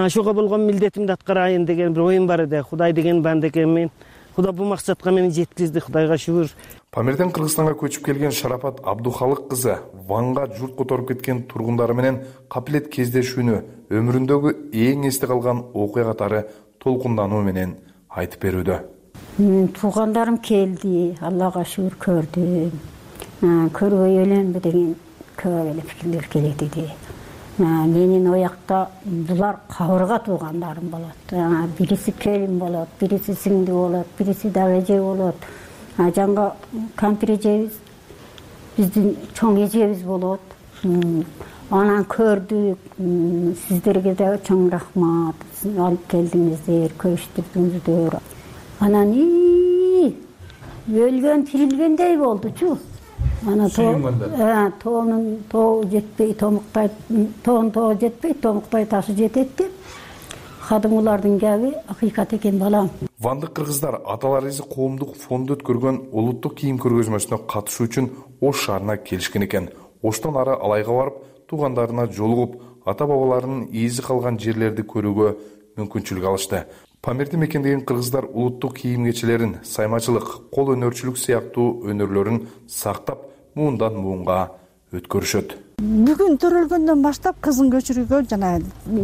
Speaker 11: шуга болгон милдетимди аткарайын деген bir оюм бар эди. Кудай деген банда экенмин. Кудай бул максатка мени жеткизди, Кудайга шүгүр.
Speaker 18: Памирден Кыргызстанга көчүп келген Шарапат Абдухалык кызы Ванга журт которуп кеткен тургундары менен капилет кездешүүнү өмүрүндөгү эң эсте калган окуя катары толкундануу менен айтып берүүдө.
Speaker 12: Туугандарым келди, Аллага шүгүр көрдүм. Көрбөй эленби деген көп эле пикирлер келет эди. Менин оякта булар кабырга туугандарым болот. Бириси келин болот, бириси сиңди болот, бириси дагы эже болот. Жанга кампир эжебиз, биздин чоң эжебиз болот. Анан көрдүк, сиздерге да чоң рахмат. Алып келдиңиздер, көрүштүрдүңүздөр. Анан өлгөн тирилгендей болдучу. Ана тоонун тоо жетпей, томуктай, тоон тоо жетпей, томуктай ташы жетет деп. Кадымгылардын кеби акыйкат экен балам.
Speaker 18: Вандык кыргыздар аталарыбыз коомдук фонду өткөргөн улуттук кийим көргөзмөсүнө катышуу үчүн Ош шаарына келишкен экен. Оштон ары Алайга барып, туугандарына жолугуп, ата-бабаларынын ийизи калган жерлерди көрүүгө мүмкүнчүлүк алышты. Памирди мекендеген кыргыздар улуттук кийим кечелерин, саймачылык, кол өнөрчүлүк сыяктуу өнөрлөрүн сактап, муундан муунга өткөрүшөт.
Speaker 19: бүгүн төрөлгөндөн баштап кызын көчүрүүгө жана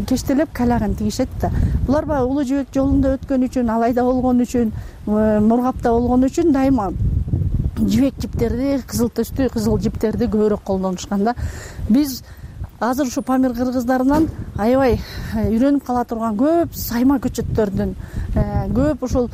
Speaker 19: кечтелеп калягын тигишет да. Булар баягы улуу жибек жолунда өткөн үчүн, алайда болгон үчүн, мургапта болгон үчүн дайыма жибек жиптерди, кызыл төстүү кызыл жиптерди көбүрөөк колдонушкан да. Биз азыр ушу Памир кыргыздарынан аябай үйрөнүп кала турган көп сайма көчөттөрдүн, көп ушул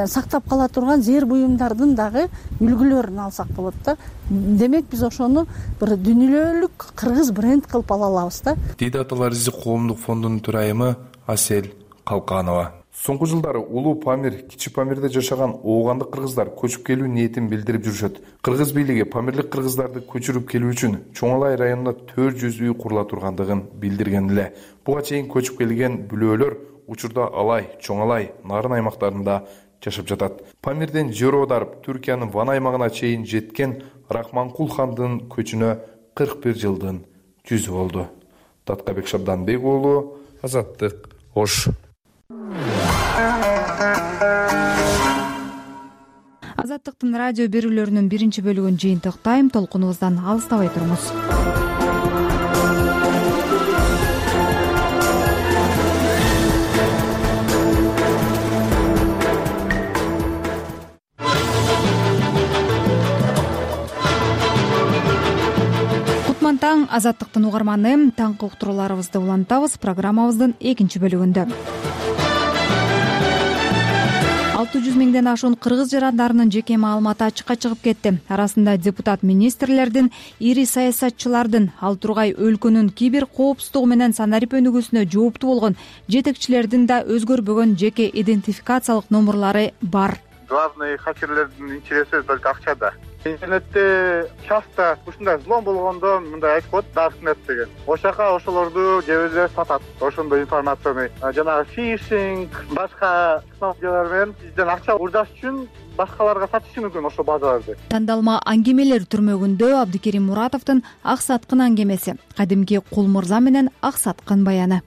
Speaker 19: сактап кала турган зээр буюмдардын дагы үлгүлөрүн алсак болот да. Демек биз ошону бир дүйнөлүк кыргыз бренд кылып ала алабыз да.
Speaker 18: Дейт Аталар изи коомдук фондунун төрайымы Асель Калканова. Соңку жылдары улуу Памир, Кичи Памирде жашаган оогандык кыргыздар көчүп келүү ниетин билдирип жүрүшөт. Кыргыз бийлиги памирлик кыргыздарды көчүрүп келүү үчүн Чоңалай районунда 400 үй курула тургандыгын билдирген эле. Буга чейин көчүп келген бүлөлөр учурда Алай, Чоңалай, Нарын аймактарында жашап жатат. Памирден жер аударып, Түркиянын Ван аймагына чейин жеткен Рахманкул хандын көчүнө 41 жылдын жүзү болду. Таткабек Шабданбек уулу, Азаттык, Ош.
Speaker 2: Азаттыктын радио берүүлөрүнүн биринчи бөлүгүн жыйынтыктайм. Толкунубуздан алыстабай туруңуз. Кутман таң, Азаттыктын угарманы. Таңкы уктурууларыбызды улантабыз программабыздын экинчи бөлүгүндө. 600 миңден ашуун кыргыз жарандарынын жеке маалыматы ачыкка чыгып кетти. Арасында депутат министрлердин, ири саясатчылардын, ал тургай өлкөнүн кибер коопсуздугу менен санарип өнүгүүсүнө жооптуу болгон жетекчилердин да өзгөрбөгөн жеке идентификациялык номурлары бар.
Speaker 20: Главный хакерлердин интереси только акчада. Интернетте часто ушундай взлом болгондо мындай айтып коет Darknet деген. Ошака ошолорду кээ бирде сатат. Ошондой информацияны жанагы фишинг, башка технологиялар менен бизден акча урдаш үчүн башкаларга сатышы мүмкүн ошо базаларды.
Speaker 2: Тандалма аңгемелер түрмөгүндө Абдикерим Муратовдун Ак Саткын аңгемеси, кадимки Кул мырза менен Ак Саткын баяны.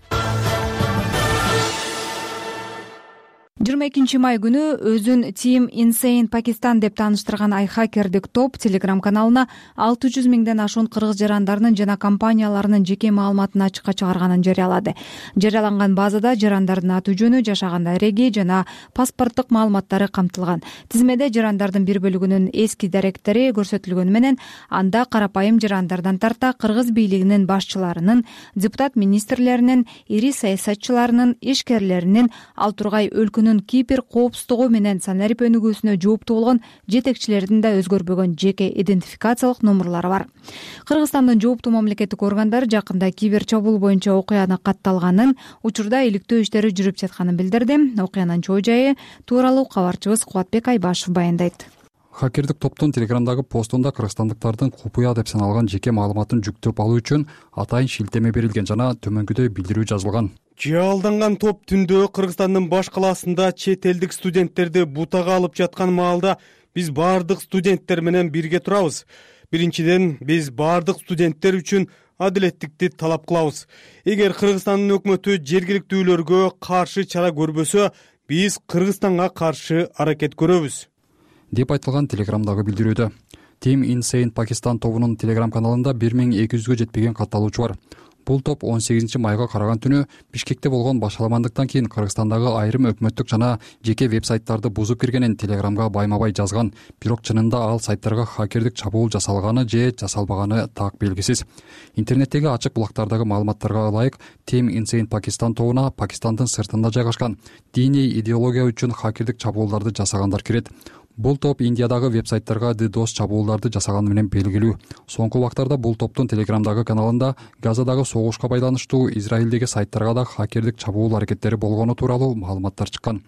Speaker 2: 22 май күнү өзүн Team Insane Pakistan деп тааныштырган айхакердик топ Telegram каналына 600 миңден ашуун кыргыз жарандарынын жана компанияларынын жеке маалыматын ачыкка чыгарганын жарыялады. Жарыяланган базада жарандардын аты жөнү, жашаган дареги жана паспорттук маалыматтары камтылган. Тизмеде жарандардын бир бөлүгүнүн эски даректери көрсөтүлгөнү менен анда карапайым жарандардан тарта кыргыз бийлигинин башчыларынын, депутат министрлеринин, ири саясатчыларынын, ишкерлеринин, ал тургай өлкөнүн кибер коопсуздугу менен санарип өнүгүүсүнө жооптуу болгон жетекчилердин да өзгөрбөгөн жеке идентификациялык номурлары бар. Кыргызстандын жооптуу мамлекеттик органдары жакында кибер чабуул боюнча окуяны катталганын, учурда иликтөө иштери жүрүп жатканын билдирди. Окуянын чоо жайы тууралуу кабарчыбыз Кубатбек Айбашев баяндайт.
Speaker 21: Хакердик топтун Телеграмдагы постунда кыргызстандыктардын купуя деп саналган жеке маалыматын жүктөп алуу үчүн атайын шилтеме берилген жана төмөнкүдөй билдирүү жазылган.
Speaker 22: Жалданган топ түндө Кыргызстандын баш калаасында чет элдик студенттерди бутага алып жаткан маалда биз баардык студенттер менен бирге турабыз. Биринчиден, биз баардык студенттер үчүн адилеттикти талап кылабыз. Эгер Кыргызстандын өкмөтү жергиликтүүлөргө каршы чара көрбөсө, биз Кыргызстанга каршы аракет көрөбүз,
Speaker 21: деп айтылган Телеграмдагы билдирүүдө. Team Insane Pakistan тобунун Telegram каналында 1200-гө жетпеген катталуучу бар. Бул топ 18 майга караган түнү Бишкекте болгон башаламандыктан кийин Кыргызстандагы айрым өкмөттүк жана жеке веб-сайттарды бузуп киргенин Телеграмга байма-бай жазган. Бирок чынында ал сайттарга хакердик чабуул жасалганы же жасалбаганы так белгисиз. Интернеттеги ачык булактардагы маалыматтарга ылайык Team Insane Pakistan тобуна Пакистандын сыртында жайгашкан диний идеология үчүн хакердик чабуулдарды жасагандар кирет. Бул топ Индиядагы веб-сайттарга DDoS чабуулдарды жасаганы менен белгилүү. Соңку убактарда бул топтун Телеграмдагы каналында Газадагы согушка байланыштуу Израилдеги сайттарга да хакердик чабуул аракеттери болгону тууралуу маалыматтар чыккан.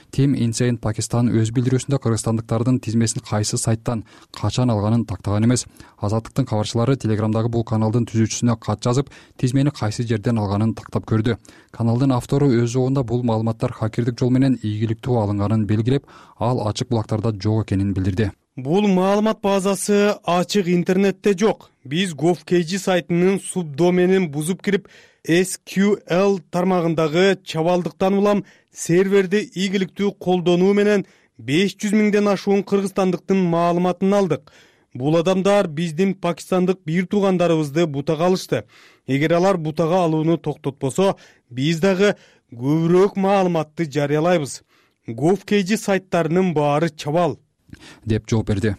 Speaker 21: Team Insane Pakistan өз билдирүүсүндө кыргызстандыктардын тизмесин кайсы сайттан качан алганын тактаган эмес. Азаттыктын кабарчылары Телеграмдагы бул каналдын түзүүчүсүнө кат жазып, тизмени кайсы жерден алганын тактап көрдү. Каналдын автору өз жобунда бул маалыматтар хакердик жол менен ийгиликтүү алынганын белгилеп, ал ачык булактарда жок экенин билдирди.
Speaker 22: Бул маалымат базасы ачык интернетте жок. Биз GovKG сайтынын субдоменин бузуп кирип, SQL тармагындагы чабалдыктан улам серверди ийгиликтүү колдонуу менен 500 миңден ашуун кыргызстандыктын маалыматын алдык. Бул адамдар биздин пакистандык бир туугандарыбызды бутага алышты. Эгер алар бутага алууну токтотпосо, биз дагы көбүрөөк маалыматты жарыялайбыз. GovKG сайттарынын баары чабал,
Speaker 21: деп жооп берди.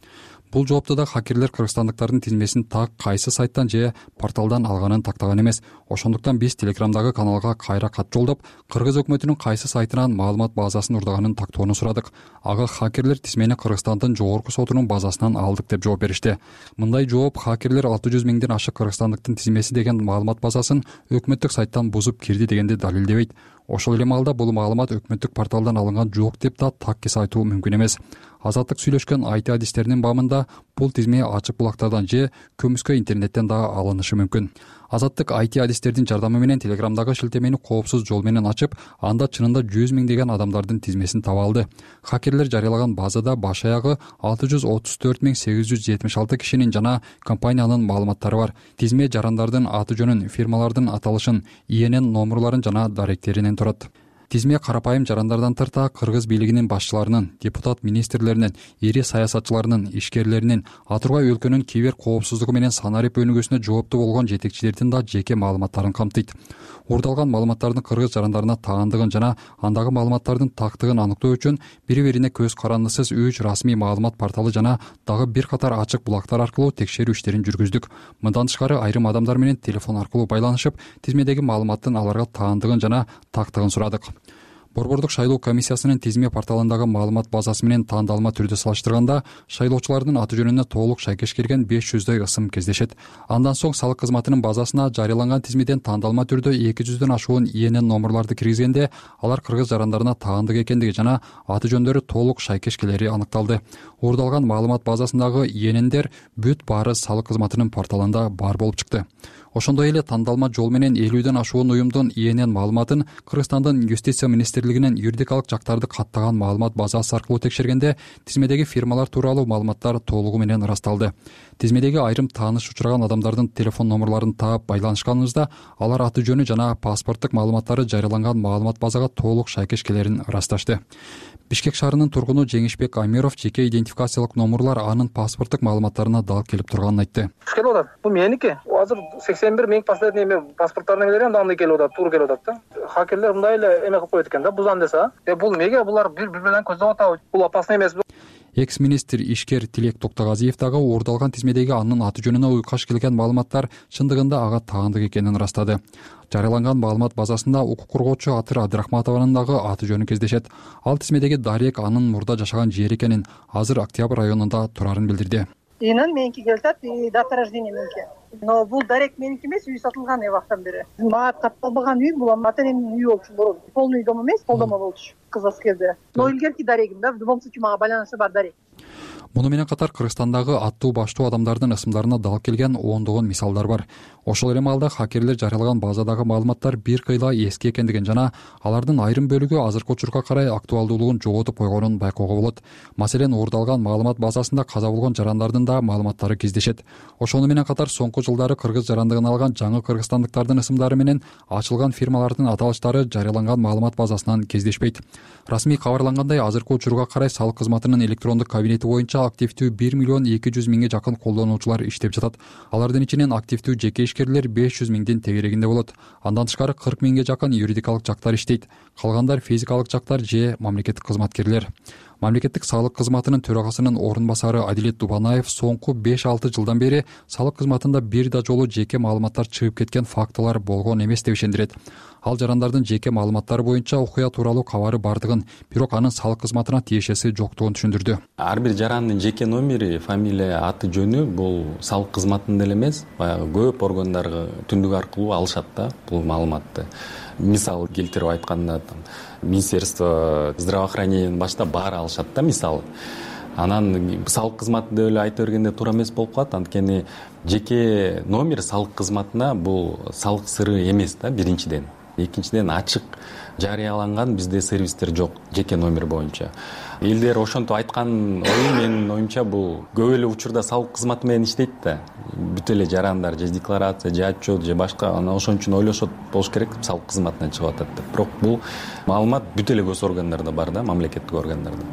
Speaker 21: Бул жоопто да хакерлер кыргызстандыктардын тизмесин так кайсы сайттан же порталдан алганын тактаган эмес. Ошондуктан биз Телеграмдагы каналга кайра кат жолдоп, кыргыз өкмөтүнүн кайсы сайтынан маалымат базасын урдаганын тактоону сурадык. Ага хакерлер тизмени Кыргызстандын жогорку сотунун базасынан алдык деп жооп беришти. Мындай жооп хакерлер 600 миңден ашык кыргызстандыктын тизмеси деген маалымат базасын өкмөттүк сайттан бузуп кирди дегенди далилдебейт. Ошол эле маалда бул маалымат өкмөттүк порталдан алынган жок деп да таккис айтуу мүмкүн эмес. Азаттык сүйлөшкөн IT адистеринин баамында бул тизме ачык булактардан же көмүскө интернеттен да алынышы мүмкүн. Азаттык IT адистердин жардамы менен Телеграмдагы шилтемени коопсуз жол менен ачып, анда чынында 100 миңдеген адамдардын тизмесин таба алды. Хакерлер жарыялаган базада баш аягы 634.876 кишинин жана компаниянын маалыматтары бар. Тизме жарандардын аты жөнүн, фирмалардын аталышын, ИНН номерларын жана даректеринен турат. Тизме карапайым жарандардан тарта кыргыз бийлигинин башчыларынын, депутат министрлеринин, ири саясатчыларынын, ишкерлеринин, атургай өлкөнүн кибер коопсуздугу менен санарип өнүгүүсүнө жооптуу болгон жетекчилердин да жеке маалыматтарын камтыйт. Урдалган маалыматтардын кыргыз жарандарына таандыгын жана андагы маалыматтардын тактыгын аныктоо үчүн бири-бирине көз карандысыз 3 расмий маалымат порталы жана дагы бир катар ачык булактар аркылуу текшерүү иштерин жүргүздүк. Мындан тышкары айрым адамдар менен телефон аркылуу байланышып, тизмедеги маалыматтын аларга таандыгын жана тактыгын сурадык. Борбордук шайлоо комиссиясынын тизме порталындагы маалымат базасы менен таандалма түрдө салыштырганда, шайлоочулардын аты жөнүнө толук шайкеш келген 500дөй ысым кездешет. Андан соң салык кызматынын базасына жарыяланган тизмеден таандалма түрдө 200дөн ашуун ИНН номерларды киргизгенде, алар кыргыз жарандарына таандык экендиги жана аты жөндөрү толук шайкеш келери аныкталды. Урдалган маалымат базасындагы ИННдер бүт баары салык кызматынын порталында бар болуп чыкты. Ошондой эле тандалма жол менен 50дөн ашуун уюмдун ИНН маалыматын Кыргызстандын юстиция министрлигинин юридикалык жактарды каттаган маалымат базасы аркылуу текшергенде, тизмедеги фирмалар тууралуу маалыматтар толугу менен ырасталды. Тизмедеги айрым тааныш учураган адамдардын телефон номерларын таап байланышканыбызда, алар аты жөнү жана паспорттук маалыматтары жарыяланган маалымат базага толук шайкеш келерин ырасташты. Бишкек шаарынын тургуну Жеңишбек Амиров жеке идентификациялык номерлар анын паспорттук маалыматтарына дал келип турганын айтты.
Speaker 5: Келип атат. Бул меники. Азыр 81 миң последний паспорттарына келем, андай келип атат, туура келип атат да. Хакерлер мындай эле эме кылып коет экен да, бузан десе. Бул эмнеге булар бири менен көздөп атабы? Бул опасно эмеспи?
Speaker 21: Экс-министр ишкер Тилек Токтогазиев дагы урдалган тизмедеги анын аты жөнүнө уйкаш келген маалыматтар чындыгында ага таандык экенин ырастады. Жарыяланган маалымат базасында укук коргоочу Атыр Абдрахматованын дагы аты жөнү кездешет. Ал тизмедеги дарек анын мурда жашаган жери экенин, азыр Октябрь районунда турарын билдирди.
Speaker 7: Инын меники келатат, дата рождения меники. Но бул дарек меники эмес, үй сатылган убактан бери. Мага катталбаган үй, бул ата энемдин үйү болчу мурун. Полный дом эмес, колдомо болчу. Кыз аскерде. Но илгерки дарегим да, в любом случае мага байланышы бар дарек.
Speaker 21: Муну менен катар Кыргызстандагы аттуу баштуу адамдардын ысымдарына дал келген ондогон мисалдар бар. Ошол эле маалда хакерлер жарыялаган базадагы маалыматтар бир кыйла эски экендигин жана алардын айрым бөлүгү азыркы учурга карай актуалдуулугун жоготуп койгонун байкоого болот. Маселен, урдалган маалымат базасында каза болгон жарандардын да маалыматтары кездешет. Ошону менен катар соңку жылдары кыргыз жарандыгын алган жаңы кыргызстандыктардын ысымдары менен ачылган фирмалардын аталыштары жарыяланган маалымат базасынан кездешпейт. Расмий кабарлангандай, азыркы учурга карай салык кызматынын электрондук кабинети боюнча активдүү 1.200.000 жакын колдонуучулар иштеп жатат. Алардын ичинен активдүү жеке ишкерлер 500.000 тегерегинде болот. Андан тышкары 40.000 жакын юридикалык жактар иштейт. Калгандар физикалык жактар же мамлекеттик кызматкерлер. Мамлекеттик салык кызматынын төрагасынын орун басары Адилет Дубанаев соңку 5-6 жылдан бери салык кызматында бир да жолу жеке маалыматтар чыгып кеткен фактылар болгон эмес деп ишендирет. Ал жарандардын жеке маалыматтары боюнча окуя тууралуу кабары бардыгын, бирок анын салык кызматына тиешеси жоктугун түшүндүрдү.
Speaker 23: Ар бир жарандын жеке номери, фамилия, аты жөнү бул салык кызматында эле эмес, баягы көп органдарга түндүк аркылуу алышат да бул маалыматты. Мисал келтирип айтканда, Министерство здравоохранениянын башында баары алышат да, мисалы. Анан салык кызматы деп эле айта бергенде туура эмес болуп калат, анткени жеке номер салык кызматына бул салык сыры эмес да, биринчиден. Экинчиден, ачык жарыяланган бизде сервистер жок жеке номер боюнча. Элдер ошентип айткан ою менин оюмча бул көп эле учурда салык кызматы менен иштейт да. Бүт эле жарандар же декларация, же отчет, же башка, анан ошон үчүн ойлошот болуш керек салык кызматынан чыгып атат деп. Бирок бул маалымат бүт эле гос органдарда бар да, мамлекеттик органдарда.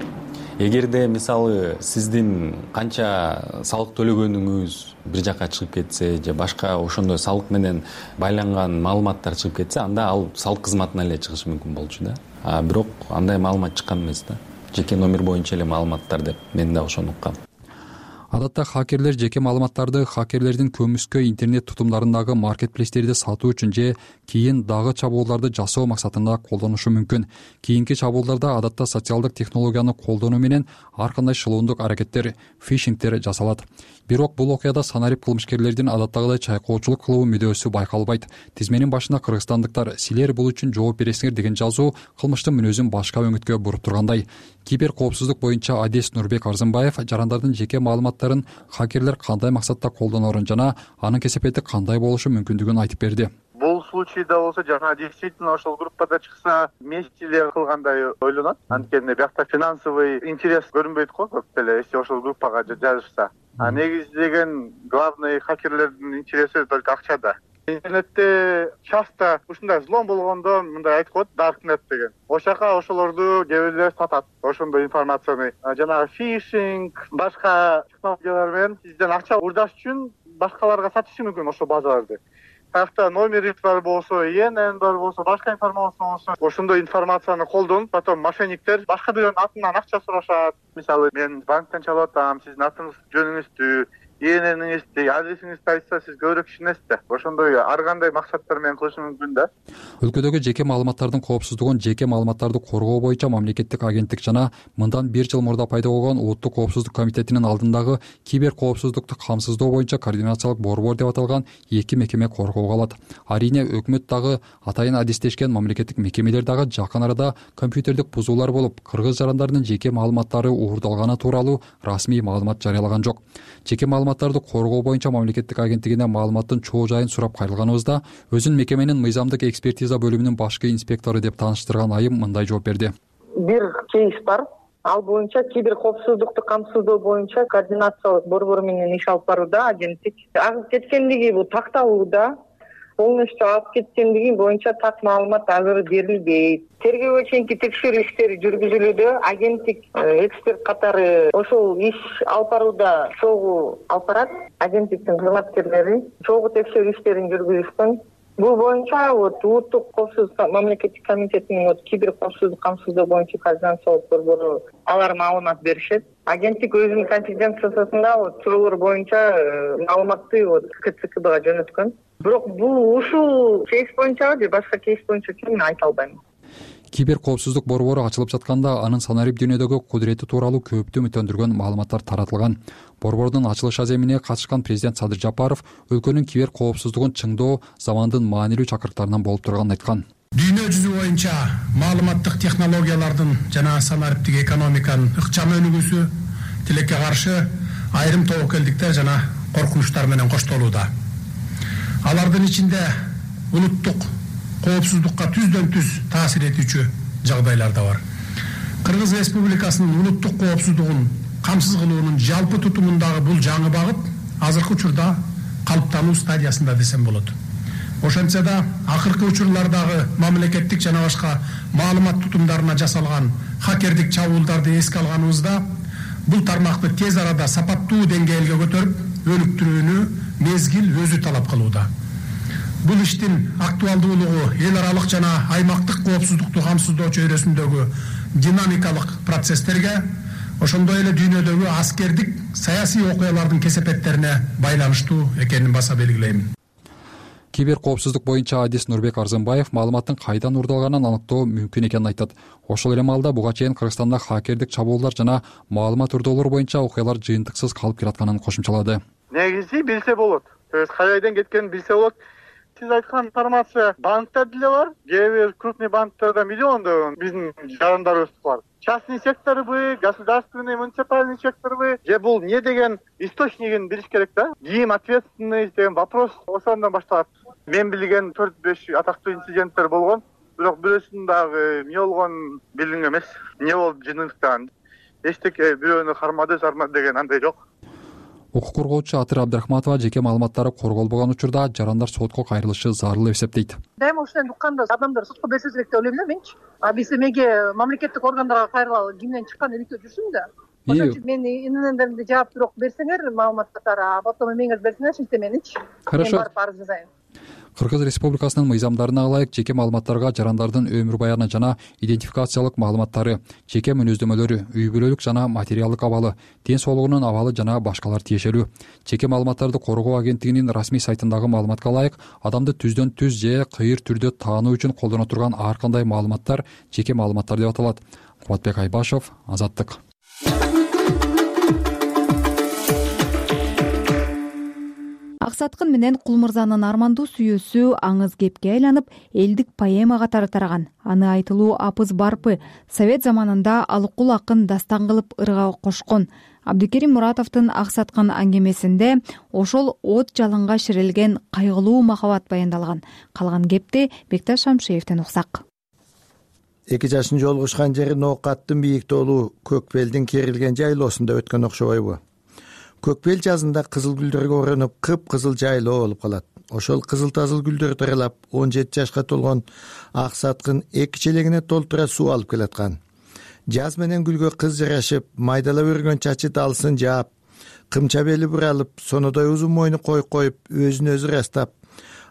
Speaker 23: эгерде мисалы сиздин канча салык төлөгөнүңүз бир жака чыгып кетсе же башка ошондой салык менен байланган маалыматтар чыгып кетсе, анда ал салык кызматына эле чыгышы мүмкүн болчу да. Бирок андай маалымат чыккан эмес да. Жеке номер боюнча эле маалыматтар деп мен да ошону уккам.
Speaker 21: Адатта хакерлер жеке маалыматтарды хакерлердин көмүскө интернет тутумдарындагы маркетплейстерди сатуу үчүн же кийин дагы чабуулдарды жасоо максатында колдонушу мүмкүн. Кийинки чабуулдарда адатта социалдык технологияны колдонуу менен ар кандай шылуундук аракеттер, фишингтер жасалат. Бирок бул окуяда санарип кылмышкерлердин адаттагыдай чайкоочулук кылуу мүдөөсү байкалбайт. Тизменин башында кыргызстандыктар "Силер бул үчүн жооп бересиңер" деген жазуу кылмыштын мүнөзүн башка өңүткө буруп тургандай. Кибер коопсуздук боюнча адис Нурбек Арзымбаев жарандардын жеке маалыматтарын хакерлер кандай максатта колдоноорун жана анын кесепети кандай болушу мүмкүндүгүн айтып берди.
Speaker 20: Бул случайда болсо жана действительно ошол группада чыкса мести эле кылгандай ойлонот. Анткени биякта финансовый интерес көрүнбөйт го көп деле, если ошол группага жазышса. Негизи деген главный хакерлердин интереси только акчада. Интернетте часто ушундай взлом болгондо мындай айтып коет, darknet деген. Ошака ошолорду кээ бирлер сатат, ошондой информацияны. Жанагы фишинг, башка технологиялар менен сизден акча урдаш үчүн башкаларга сатышы мүмкүн ошол базаларды. Каякта номери бар болсо, ИНН бар болсо, башка информация болсо, ошондой информацияны колдонуп, потом мошенниктер башка бирөөнүн атынан акча сурашат. Мисалы, мен банктан чалып атам, сиздин атыңыз, жөнүңүздү, ИННиңизди, адресиңизди айтса, сиз көбүрөөк ишенесиз да. Ошондой ар кандай максаттар менен кылышы мүмкүн да.
Speaker 21: Өлкөдөгү жеке маалыматтардын коопсуздугун жеке маалыматтарды коргоо боюнча мамлекеттик агенттик жана мындан 1 жыл мурда пайда болгон Улуттук коопсуздук комитетинин алдындагы кибер коопсуздукту камсыздоо боюнча координациялык борбор деп аталган 2 мекеме коргоого алат. Арийне өкмөт дагы атайын адистешкен мамлекеттик мекемелер дагы жакын арада компьютердик бузуулар болуп, кыргыз жарандарынын жеке маалыматтары уурдалганы тууралуу расмий маалымат жарыялаган жок. Жеке маалыматтарды коргоо боюнча мамлекеттик агенттигине маалыматтын чоо жайын сурап кайрылганыбызда өзүн мекеменин мыйзамдык экспертиза бөлүмүнүн башкы инспектору деп тааныштырган айым мындай жооп берди.
Speaker 3: Бир кейс бар. Ал боюнча кибер коопсуздукту камсыздоо боюнча координациялык борбор менен иш алып барууда агенттик. Агып кеткендиги бул такталууда. Полностью алып кеткендиги боюнча так маалымат азыр берилбейт. Тергөөгө чейинки текшерүү иштери жүргүзүлүүдө. Агенттик эксперт катары ошол иш алып барууда чогуу алып барат. Агенттиктин кызматкерлери чогуу текшерүү иштерин жүргүзүшкөн. Бул боюнча Улуттук коопсуздук мамлекеттик комитетинин кибер коопсуздук камсыздоо боюнча координациялык борбору алар маалымат беришет. Агенттик өзүнүн конфиденциясында суроолор боюнча маалыматты КЦКБга жөнөткөн. Бирок бул ушул кейс боюнча же башка кейс боюнча мен айта албайм.
Speaker 21: Кибер коопсуздук борбору ачылып жатканда анын санарип дүйнөдөгү кудурети тууралуу көптү үмүттөндүргөн маалыматтар таратылган. Борбордун ачылыш аземине катышкан президент Садыр Жапаров өлкөнүн кибер коопсуздугун чыңдоо замандын маанилүү чакырыктарынан болуп турганын айткан.
Speaker 6: Дүйнө жүзү боюнча маалыматтык технологиялардын жана санариптик экономиканын ыкчам өнүгүүсү тилекке каршы айрым тобокелдиктер жана коркунучтар менен коштолууда. Алардын ичинде улуттук коопсуздукка түздөн түз таасир этүүчү жагдайлар да бар. Кыргыз Республикасынын улуттук коопсуздугун камсыз кылуунун жалпы тутумундагы бул жаңы багыт азыркы учурда калыптануу стадиясында десем болот. Ошентсе да акыркы учурлардагы мамлекеттик жана башка маалымат тутумдарына жасалган хакердик чабуулдарды эске алганыбызда бул тармакты тез арада сапаттуу деңгээлге көтөрүп, өнүктүрүүнү мезгил өзү талап кылууда. Бул иштин актуалдуулугу эл аралык жана аймактык коопсуздукту камсыздоо чөйрөсүндөгү динамикалык процесстерге, ошондой эле дүйнөдөгү аскердик, саясий окуялардын кесепеттерине байланыштуу экенин баса белгилейм.
Speaker 21: Кибер коопсуздук боюнча адис Нурбек Арзымбаев маалыматтын кайдан уурдалганын аныктоо мүмкүн экенин айтат. Ошол эле маалда буга чейин Кыргызстанда хакердик чабуулдар жана маалымат урдоолор боюнча окуялар жыйынтыксыз калып келатканын кошумчалады.
Speaker 20: Негизи билсе болот. То есть кайдан кеткенин билсе болот. Сиз айткан информация банкта деле бар. Кээ бир крупный банктарда миллиондогон биздин жарандарыбыз бар. Частный секторбы, государственный, муниципальный секторбы, же бул не деген источнигин билиш керек да. Ким ответственный деген вопрос ошондон башталат. Мен билген 4-5 атактуу инциденттер болгон, бирок бирөөсүн дагы эмне болгон билингем эмес. Эмне болуп жыныктаган. Эчтеке бирөөнү кармады деген андай жок.
Speaker 21: укук коргоочу Атыр Абдрахматова жеке маалыматтары корголбогон учурда жарандар сотко кайрылышы зарыл деп эсептейт.
Speaker 7: Дайыма ушуну укканда адамдар сотко берсе элек деп ойлойм да менчи. Биз эмеге мамлекеттик органдарга кайрылалы, кимден чыккан иликтөө жүрсүн да. Ошон үчүн мен инендеримди жаап бирок берсеңер маалымат катары, потом эмеңерди берсеңер ишинте меничи.
Speaker 21: Хорошо.
Speaker 7: Мен барып арыз жазайын.
Speaker 21: Кыргыз Республикасынын мыйзамдарына ылайык жеке маалыматтарга жарандардын өмүр баяны жана идентификациялык маалыматтары, жеке мүнөздөмөлөрү, үй бүлөлүк жана материалдык абалы, ден соолугунун абалы жана башкалар тиешелүү. Жеке маалыматтарды коргоо агенттигинин расмий сайтындагы маалыматка ылайык, адамды түздөн түз же кыйыр түрдө таануу үчүн колдоно турган ар кандай маалыматтар жеке маалыматтар деп аталат. Кубатбек Айбашев, Азаттык.
Speaker 2: Аксаткын менен Кулмырзанын армандуу сүйүүсү аңыз кепке айланып, элдик поэма катары тараган. Аны айтылуу Апыз Барпы Совет заманында Алыкул акын дастан кылып ырга кошкон. Абдыкерим Муратовдун Аксаткын аңгемесинде ошол от жалынга ширилген кайгылуу махабат баяндалган. Калган кепти Бекташ Шамшиевден уксак.
Speaker 8: 2 жашын жолугушкан жери Ноокаттын бийик тоолуу Көкбелдин керилген жайлоосунда өткөн окшобойбу? Көкбел жазында кызыл гүлдөргө оронуп, кыпкызыл жайлоо болуп калат. Ошол кызыл-тазыл гүлдөр таралап, 17 жашка толгон Аксаткын 2 челегине толтура суу алып келаткан. Жаз менен гүлгө кыз жарашып, майдалап өргөн чачы далсын жаап, кымча бели буралып, сонодой узун мойну коюп, өзүн өзү ырастап,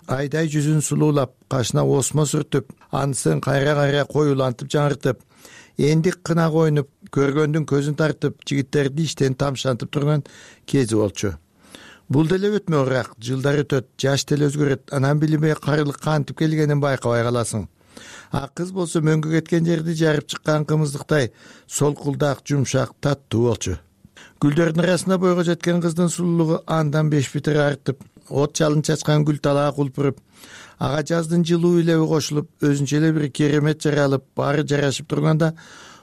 Speaker 8: айдай жүзүн сулуулап, кашына осмо сүртүп, анысын кайра коюлантып жаңыртып, эндик кына койнуп, көргөндүн көзүн тартып, жигиттерди иштен тамшантып турган кези болчу. Бул деле өтмө ырак, жылдар өтөт, жаш деле өзгөрөт, анан билимге карылык кантип келгенин байкабай каласың. А кыз болсо мөңгү кеткен жерди жарып чыккан кымыздыктай солкулдак, жумшак, таттуу болчу. Гүлдөрдүн арасына бойго жеткен кыздын сулуулугу андан 5 битир артып, от жалын чачкан гүл талаа кулпуруп, ага жаздын жылуу илеби кошулуп, өзүнчө эле бир керемет жаралып, баары жарашып турганда,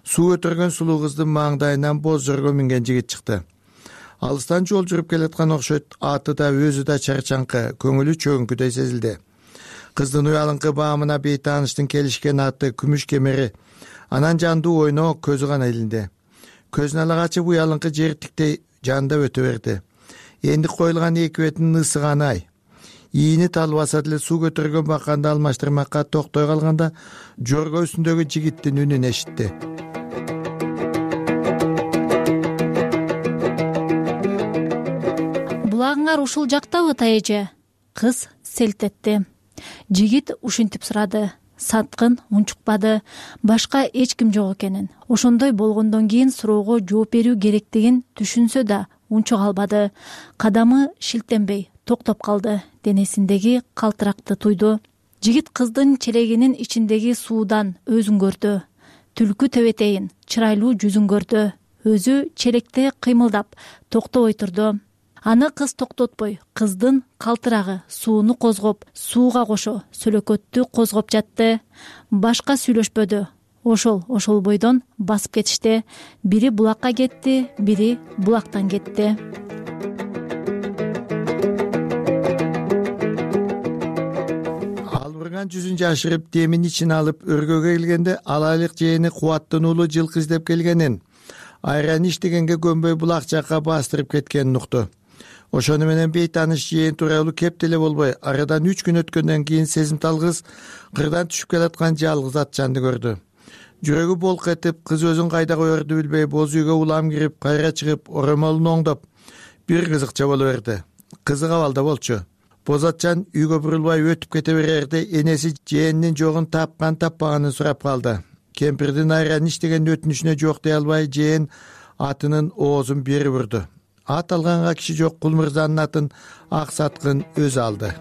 Speaker 8: суу өтөргөн сулуу кыздын маңдайынан боз жорго минген жигит чыкты. Алыстан жол жүрүп келаткан окшойт, аты да өзү да чарчаңкы, көңүлү чөңкүдөй сезилди. Кыздын уялыңкы баамына бейтааныштын келишкен аты күмүш кемери, анан жандуу ойноо көзү гана илинди. Көзүн ала ачып уялыңкы жер тиктей жанда өтө берди. Энди коюлган эки бетинин ысыганы ай. Ийини талбаса деле суу көтөргөн баканды алмаштырмакка токтой калганда, жорго үстүндөгү жигиттин үнүн эшитти.
Speaker 9: Булагыңар ушул жактабы, тайэже? Кыз селт этти. Жигит ушинтип сурады. Саткын унчукпады. Башка эч ким жок экенин. Ошондой болгондон кийин суроого жооп берүү керектигин түшүнсө да унчук албады. Кадамы шилтенбей токтоп калды. Денесиндеги калтыракты туйду. Жигит кыздын челегинин ичиндеги суудан өзүн көрдү. Түлкү тебетейин, чырайлуу жүзүн көрдү. Өзү челекте кыймылдап, токтобой турду. Аны кыз токтотпой, кыздын калтырагы сууну козгоп, сууга кошо сөлөкөттү козгоп жатты. Башка сүйлөшпөдү. Ошол бойдон басып кетишти. Бири булакка кетти, бири булактан кетти.
Speaker 8: Албырган жүзүн жашырып, демин ичин алып, өргөгө келгенде алайлык жээни кубаттынуулуу жылкы издеп келгенин, айран иштегенге көнбөй булак жакка бастырып кеткенин укту. Ошону менен бейтааныш жээн тууралуу кеп деле болбой, арадан 3 күн өткөндөн кийин сезимтал кыз кырдан түшүп келаткан жалгыз атчанды көрдү. Жүрөгү болк этип, кыз өзүн кайда коерду билбей, боз үйгө улам кирип, кайра чыгып, оромолун оңдоп, бир кызыкча боло берди. Кызык абалда болчу. Боз атчан үйгө бурулбай өтүп кете берерде, энеси жээнинин жогун тапкан таппаганын сурап калды. Кемпирдин айран иштеген өтүнүшүнө жок дей албай, жээн атынын оозун бери бурду. Ат алганга киши жок, Кулмырзанын атын Аксаткын өзү алды.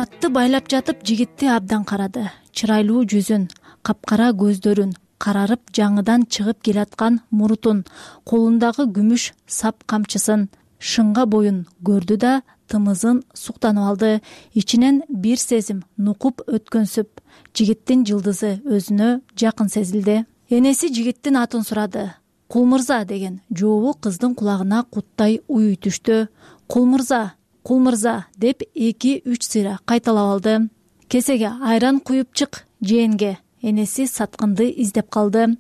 Speaker 9: Атты байлап жатып, жигитти абдан карады. Чырайлуу жүзүн, капкара көздөрүн, карарып жаңыдан чыгып келаткан мурутун, колундагы күмүш сап камчысын, шыңга боюн көрдү да тымызын суктанып алды. Ичинен бир сезим нукуп өткөнсүп, жигиттин жылдызы өзүнө жакын сезилди. Энеси жигиттин атын сурады. Кулмырза деген жообу кыздын кулагына куттай уй түштү. Кулмырза, Кулмырза деп 2-3 сыйра кайталап алды. Кесеге айран куюп чык жээнге. Энеси Саткынды издеп калды.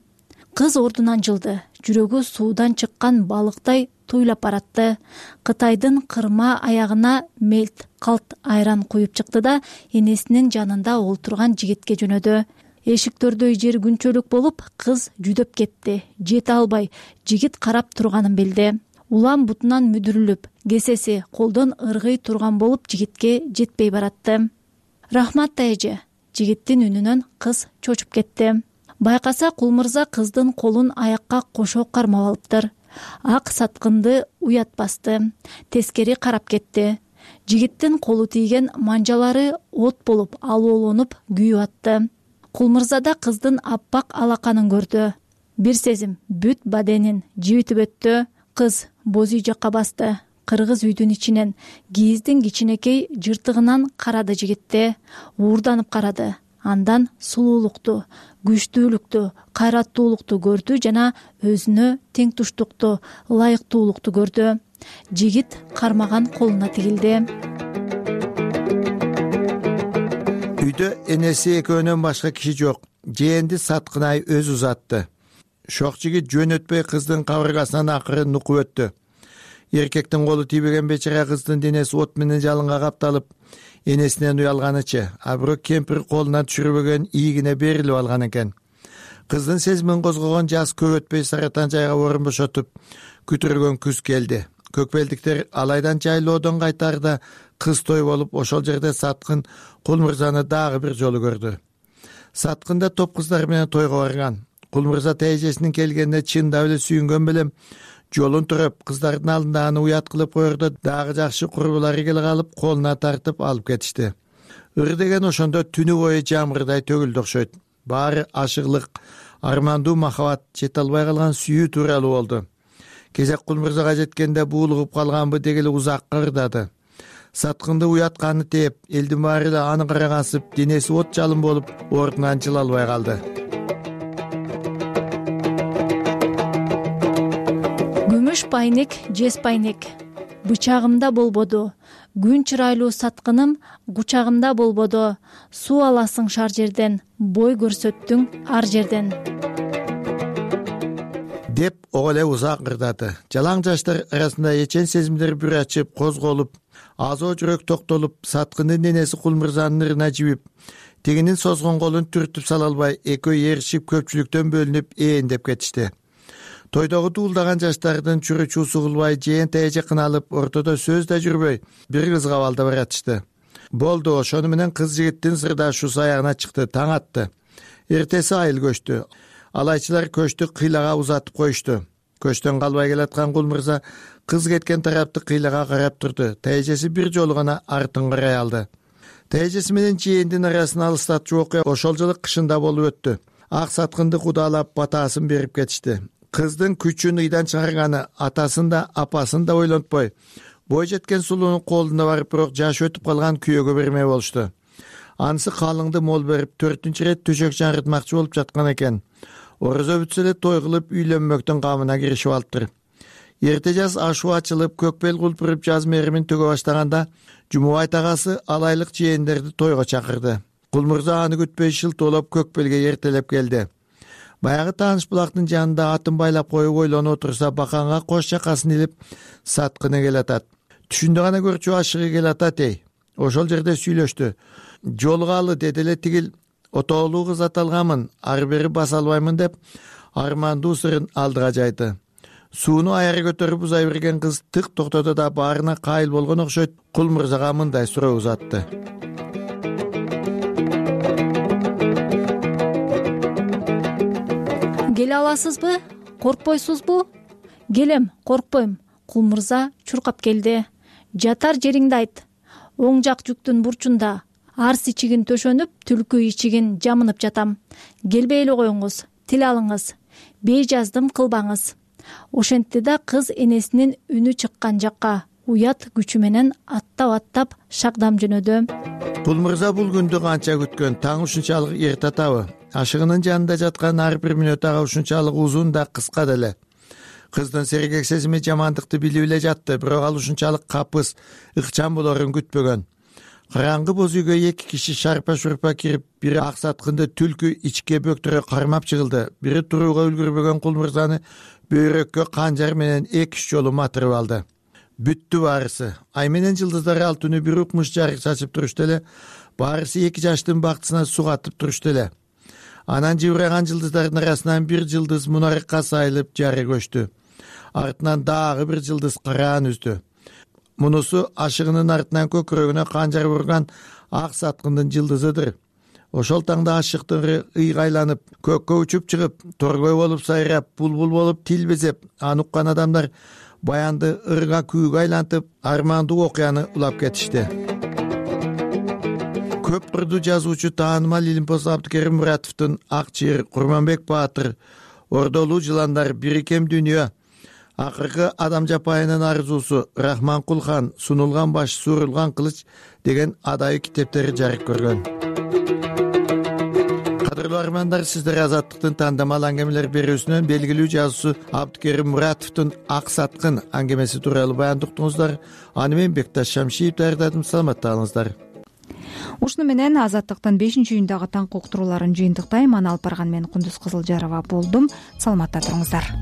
Speaker 9: Кыз ордунан жылды, жүрөгү суудан чыккан балыктай туйлап баратты. Кытайдын кырма аягына мелт калт айран куюп чыкты да энесинин жанында олтурган жигитке жөнөдү. Эшиктөрдөй жер күнчөлүк болуп, кыз жүдөп кетти. Жете албай, жигит карап турганын билди. Улам бутунан мүдүрүлүп, кесеси колдон ыргый турган болуп жигитке жетпей баратты. Рахмат эже, жигиттин үнүнөн кыз чочуп кетти. Байкаса Кул мырза кыздын колун аякка кошо кармап алыптыр. Ак саткынды уят басты. Тескери карап кетти. Жигиттин колу тийген манжалары от болуп алоолонуп күйүп атты. Кул мырза да кыздын аппак алаканын көрдү. Бир сезим бүт баденин жибитип өттү. Кыз боз үй жакка басты. Кыргыз үйдүн ичинен кийиздин кичинекей жыртыгынан карады жигитте. Уурданып карады. Андан сулуулукту, күчтүүлүктү, кайраттуулукту көрдү жана өзүнө тең туштукту, ылайыктуулукту көрдү. Жигит кармаган колуна тигилди.
Speaker 8: Үйдө энеси экөөнөн башка киши жок. Жээнди Саткынай өзү узатты. Шок жигит жөн өтпөй кыздын кабыргасынан акыры нукуп өттү. Эркектин колу тийбеген бечара кыздын денеси от менен жалынга капталып, энесинен уялганычы, а бирок кемпир колуна түшүрбөгөн ийигине берилип алган экен. Кыздын сезимин козгогон жаз көп өтпөй Саратан жайга орун бошотуп, күтүргөн күз келди. Көкбелдиктер алайдан жайлоодон кайтарда кыз той болуп, ошол жерде Саткын Кул мырзаны дагы бир жолу көрдү. Саткын да топ кыздар менен тойго барган. Кул мырза тээжесинин келгенине чындап эле сүйүнгөн белем, жолун туруп, кыздардын алдында аны уят кылып коерде дагы жакшы курбулары келе калып, колуна тартып алып кетишти. Ыр деген ошондо түнү бою жамгырдай төгүлдү окшойт. Баары ашыгылык, армандуу махабат, жете албай калган сүйүү тууралуу болду. Кезек Кул мырзага жеткенде буулугуп калганбы дегеле узакка ырдады. Саткынды уятканы тээп, элдин баары эле аны карагансып, денеси от жалын болуп, ордунан жыла албай калды.
Speaker 9: Күмүш пайнек, жес пайнек. Бычагымда болбоду. Күн чырайлуу Саткыным кучагымда болбоду. Суу аласың шар жерден, бой көрсөттүң ар жерден.
Speaker 8: Деп ого эле узак ырдады. Жалаң жаштар арасында эчен сезимдер бүр ачып, козголуп, азоо жүрөк токтолуп, Саткындын денеси Кул мырзанын ырына жибип, тегинин созгон колун түртүп сала албай, экөө ээришип көпчүлүктөн бөлүнүп эендеп кетишти. Тойдогу дуулдаган жаштардын чүрү-чуусу кылбай, жээн тээже кыналып, ортодо сөз да жүрбөй, бир кызга балда баратышты. Болду, ошону менен кыз жигиттин сырдашуусу аягына чыкты, таң атты. Эртеси айыл көчтү. Алайчылар көчтү кыйлага узатып коюшту. Көчтөн калбай келаткан Кул мырза кыз кеткен тарапты кыйлага карап турду. Тээжеси бир жолу гана артын карай алды. Тээжеси менен жээндин арасын алыстатчу окуя ошол жылы кышында болуп өттү. Ак Саткынды кудалап, батасын берип кетишти. Кыздын күчүн ыйдан чыгарганы, атасын да, апасын да ойлонтпой, бой жеткен сулуунун колуна барып, бирок жаш өтүп калган күйөөгө бермей болушту. Анысы калыңды мол берип, 4-чү ирет төшөк жаңыртмакчы болуп жаткан экен. Орозо бүтсө эле той кылып, үйлөнмөктүн камына киришип алыптыр. Эрте жаз ашуу ачылып, көкбел кулпуруп жаз меримин төгө баштаганда, Жумубай тагасы алайлык жээндерди тойго чакырды. Кул мырза аны күтпөй шылтоолоп көкбелге эртелеп келди. Баягы тааныш булактын жанында атын байлап коюп ойлонуп отурса, баканга кош жакасын илип Саткыны келатат. Түшүндө гана көрчү ашыгы келатат эй. Ошол жерде сүйлөштү. Жолугалы деди эле тигил, отоолуу кыз аталганмын, ары бери баса албаймын деп армандуу сырын алдыга жайды. Сууну аяры көтөрүп узай берген кыз тык токтоду да баарына кайыл болгон окшойт, Кул мырзага мындай суроо узатты.
Speaker 9: Келе аласызбы? Коркпойсузбу? Келем, коркпойм. Кул мырза чуркап келди. Жатар жериңди айт. Оң жак жүктүн бурчунда арс ичигин төшөнүп, түлкү ичигин жамынып жатам. Келбей эле коюңуз, тил алыңыз. Бей жаздым кылбаңыз. Ошентти да кыз энесинин үнү чыккан жакка уят күчү менен аттап шагдам жөнөдү.
Speaker 8: Кул мырза бул күндү канча күткөн, таң ушунчалык эрте атабы. Ашыгынын жанында жаткан ар бир мүнөт ага ушунчалык узун да кыска деле. Кыздын сергек сезими жамандыкты билип эле жатты, бирок ал ушунчалык капыс, ыкчам болорун күтпөгөн. караңгы боз үйгө 2 киши шарпа шурпа кирип, бири ак саткынды түлкү ичке бөктөрө кармап чыгылды. Бири турууга үлгүрбөгөн Кул мырзаны бөйрөккө канжар менен 2-3 жолу матырып алды. Бүттү баарысы. Ай менен жылдыздар ал түнү бир укмуш жарык чачып турушту эле. Баарысы 2 жаштын бактысына сугатып турушту эле. Анан жыбыраган жылдыздардын арасынан бир жылдыз мунарыкка сайылып жары көчтү. Артынан дагы бир жылдыз караан үздү. Мунусу ашыгынын артынан көкүрөгүнө канжар урган ак саткындын жылдызыдыр. Ошол таңда ашыктыгы ыйгайланып, көккө учуп чыгып, торгой болуп сайрап, булбул болуп тил безеп, аны уккан адамдар баянды ырга күүгө айлантып, армандуу окуяны улап кетишти. Көп кырдуу жазуучу таанымал Илимпоз Абдыкерим Муратовдун Ак чыйыр, Курманбек Баатыр, Ордолуу жыландар, Бирикем дүйнө, Акыркы адам жапайынын арзуусу, Рахманкул хан, Сунулган баш, Суурулган кылыч деген адайы китептери жарык көргөн. Кадырлуу армандар, сиздер Азаттыктын тандамал аңгемелер берүүсүнөн белгилүү жазуучу Абдыкерим Муратовдун Ак саткын аңгемеси тууралуу баяндуктуңуздар. Аны мен Бекташ Шамшиев даярдадым. Саламатта калыңыздар.
Speaker 2: Ушуну менен Азаттыктын 5-үйүндөгү таңкы уктурууларын жыйынтыктайм. Аны алып барган мен Кундуз Кызылжарова болдум. Саламатта туруңуздар.